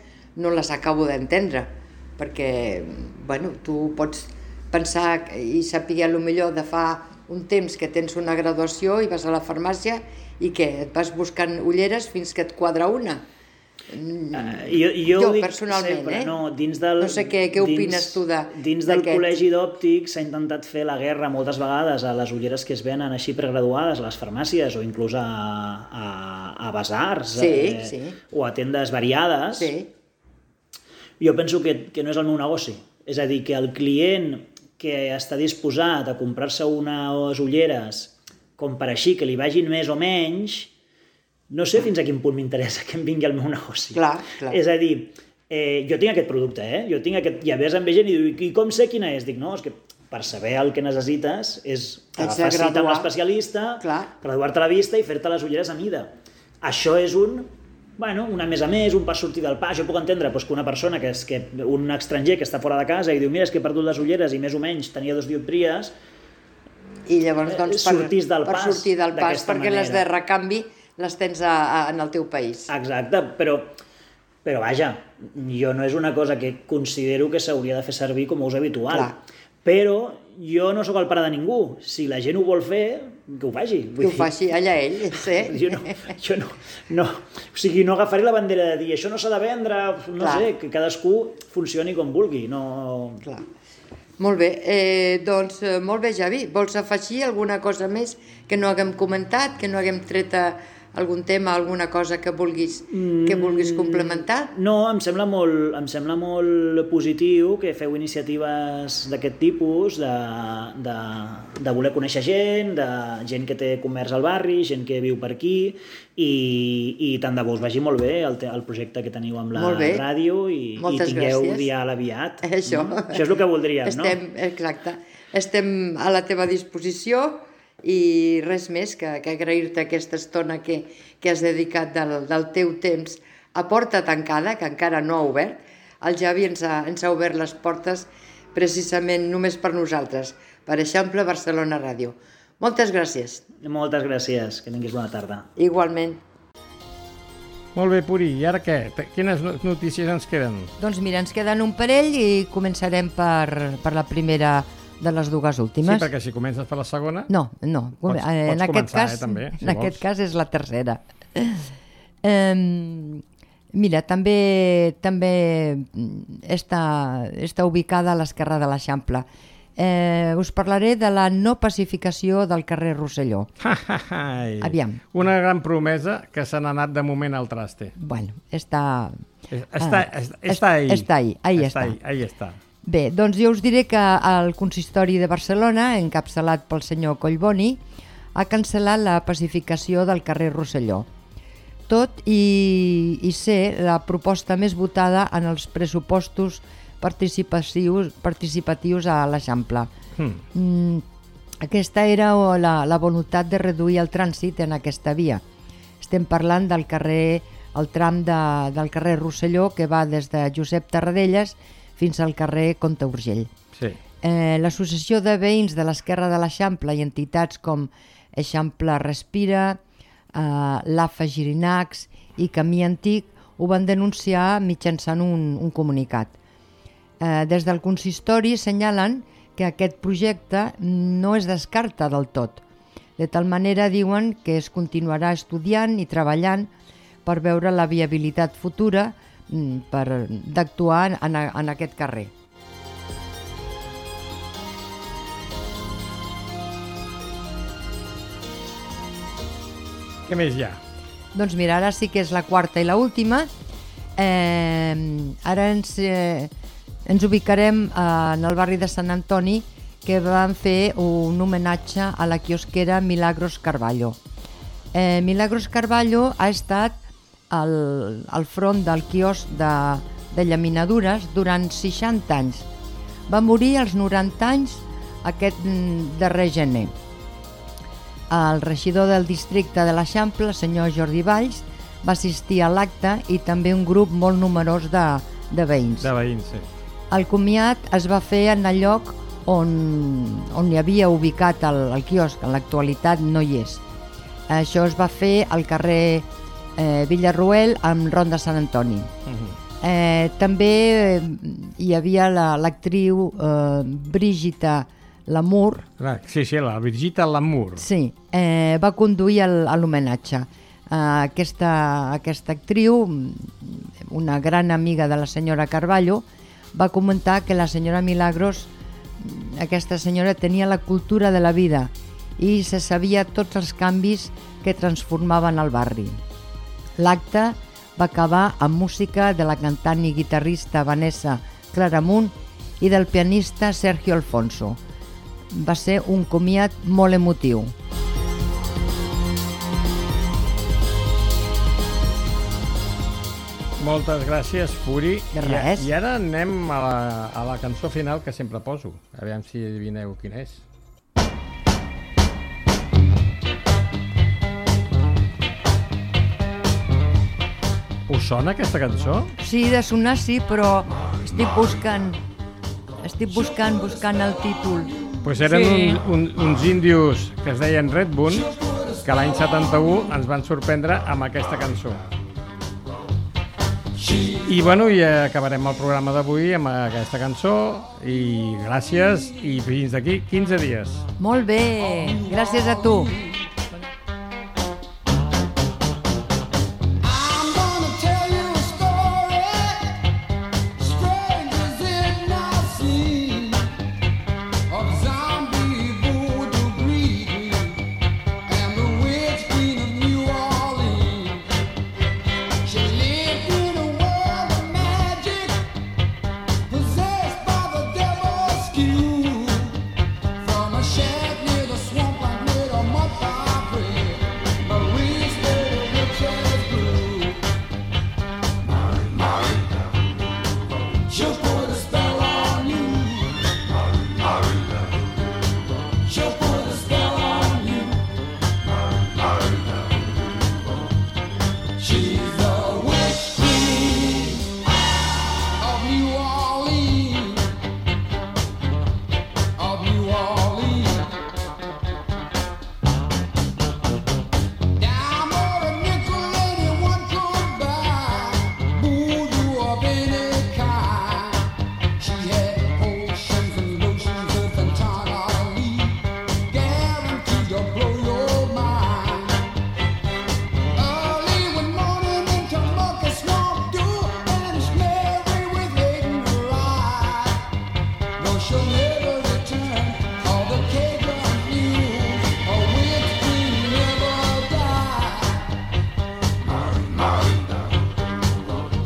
no les acabo d'entendre, perquè, bueno, tu pots pensar i saber a lo millor de fa un temps que tens una graduació i vas a la farmàcia i que et vas buscant ulleres fins que et quadra una. Uh, jo, jo, jo dic personalment, sempre, eh? No, dins del, no sé què, què opines dins, tu de Dins del col·legi d'òptics s'ha intentat fer la guerra moltes vegades a les ulleres que es venen així pregraduades a les farmàcies o inclús a, a, a basars sí, eh, sí. o a tendes variades. Sí. Jo penso que, que no és el meu negoci. És a dir, que el client que està disposat a comprar-se unes ulleres com per així, que li vagin més o menys, no sé fins a quin punt m'interessa que em vingui al meu negoci. Clar, clar. És a dir, eh, jo tinc aquest producte, eh? Jo tinc aquest... I a vegades em ve gent i diu, i com sé quina és? Dic, no, és que per saber el que necessites és agafar cita amb l'especialista, graduar-te la vista i fer-te les ulleres a mida. Això és un... Bueno, una més a més, un pas sortir del pas. Jo puc entendre doncs, que una persona, que és que un estranger que està fora de casa i diu, mira, és que he perdut les ulleres i més o menys tenia dos dioptries, i llavors, doncs, per, sortís del per pas sortir del pas, perquè manera. Les de recanvi les tens a, a, en el teu país. Exacte, però, però vaja, jo no és una cosa que considero que s'hauria de fer servir com a ús habitual. Clar. Però jo no sóc el pare de ningú. Si la gent ho vol fer, que ho faci. Que ho faci allà ell, sí. Jo no, jo no, no, o sigui, no agafaré la bandera de dir això no s'ha de vendre, no Clar. sé, que cadascú funcioni com vulgui. No... Clar. Molt bé, eh, doncs molt bé, Javi. Vols afegir alguna cosa més que no haguem comentat, que no haguem tret a algun tema, alguna cosa que vulguis, que vulguis complementar? No, em sembla molt, em sembla molt positiu que feu iniciatives d'aquest tipus, de, de, de voler conèixer gent, de gent que té comerç al barri, gent que viu per aquí, i, i tant de bo us vagi molt bé el, el projecte que teniu amb la ràdio i, i tingueu gràcies. Dial aviat. Això. No? Això és el que voldríem, Estem, no? Exacte. Estem a la teva disposició i res més que, que agrair-te aquesta estona que, que has dedicat del, del teu temps a porta tancada, que encara no ha obert. El Javi ens ha, ens ha obert les portes precisament només per nosaltres, per Eixample Barcelona Ràdio. Moltes gràcies. Moltes gràcies, que tinguis bona tarda. Igualment. Molt bé, Puri, i ara què? Quines notícies ens queden? Doncs mira, ens queden un parell i començarem per, per la primera de les dues últimes. Sí, perquè si comences per la segona... No, no. Pots, en pots aquest començar, cas, eh, també, si en vols. aquest cas és la tercera. Eh, mira, també també està, està ubicada a l'esquerra de l'Eixample. Eh, us parlaré de la no pacificació del carrer Rosselló. Aviam. Una gran promesa que se n'ha anat de moment al traste. Bueno, està... Està, ah, està, està ahí. Està ahí, ahí està. Ahí, ahí està. Bé, doncs jo us diré que el consistori de Barcelona, encapçalat pel senyor Collboni, ha cancel·lat la pacificació del carrer Rosselló. tot i, i ser la proposta més votada en els pressupostos participatius, participatius a l'Eixample. Mm. Mm, aquesta era la, la voluntat de reduir el trànsit en aquesta via. Estem parlant del carrer, el tram de, del carrer Rosselló, que va des de Josep Tarradellas fins al carrer Comte Urgell. Sí. Eh, L'Associació de Veïns de l'Esquerra de l'Eixample i entitats com Eixample Respira, eh, l'A F A Girinacs i Camí Antic ho van denunciar mitjançant un, un comunicat. Eh, des del consistori senyalen que aquest projecte no es descarta del tot. De tal manera diuen que es continuarà estudiant i treballant per veure la viabilitat futura per d'actuar en, en aquest carrer. Què més hi ha? Doncs mira, ara sí que és la quarta i la última. Eh, ara ens, eh, ens ubicarem en el barri de Sant Antoni, que van fer un homenatge a la quiosquera Milagros Carballo. Eh, Milagros Carballo ha estat al, al front del quiosc de, de llaminadures durant seixanta anys. Va morir als noranta anys aquest darrer gener. El regidor del districte de l'Eixample, el senyor Jordi Valls, va assistir a l'acte i també un grup molt numerós de, de veïns. De veïns, sí. El comiat es va fer en el lloc on, on hi havia ubicat el, el quiosc, en l'actualitat no hi és. Això es va fer al carrer eh, Villarroel amb Ronda Sant Antoni. Uh-huh. eh, també eh, hi havia l'actriu la, eh, Brigitte Lamour. Sí, sí, la Brigitte Lamour. Sí, eh, va conduir l'homenatge. Eh, aquesta, aquesta actriu, una gran amiga de la senyora Carballo, va comentar que la senyora Milagros, aquesta senyora tenia la cultura de la vida i se sabia tots els canvis que transformaven el barri. L'acte va acabar amb música de la cantant i guitarrista Vanessa Claramunt i del pianista Sergio Alfonso. Va ser un comiat molt emotiu. Moltes gràcies, Puri. De res. I, I ara anem a la, a la cançó final que sempre poso. Aviam si adivineu quina és. Us sona aquesta cançó? Sí, de sonar sí, però estic buscant, estic buscant, buscant el títol. Pues eren sí. un, un, uns índios que es deien Red Bull, que l'any setanta-u ens van sorprendre amb aquesta cançó. I bueno, i acabarem el programa d'avui amb aquesta cançó i gràcies i fins d'aquí quinze dies. Molt bé, gràcies a tu.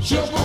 Just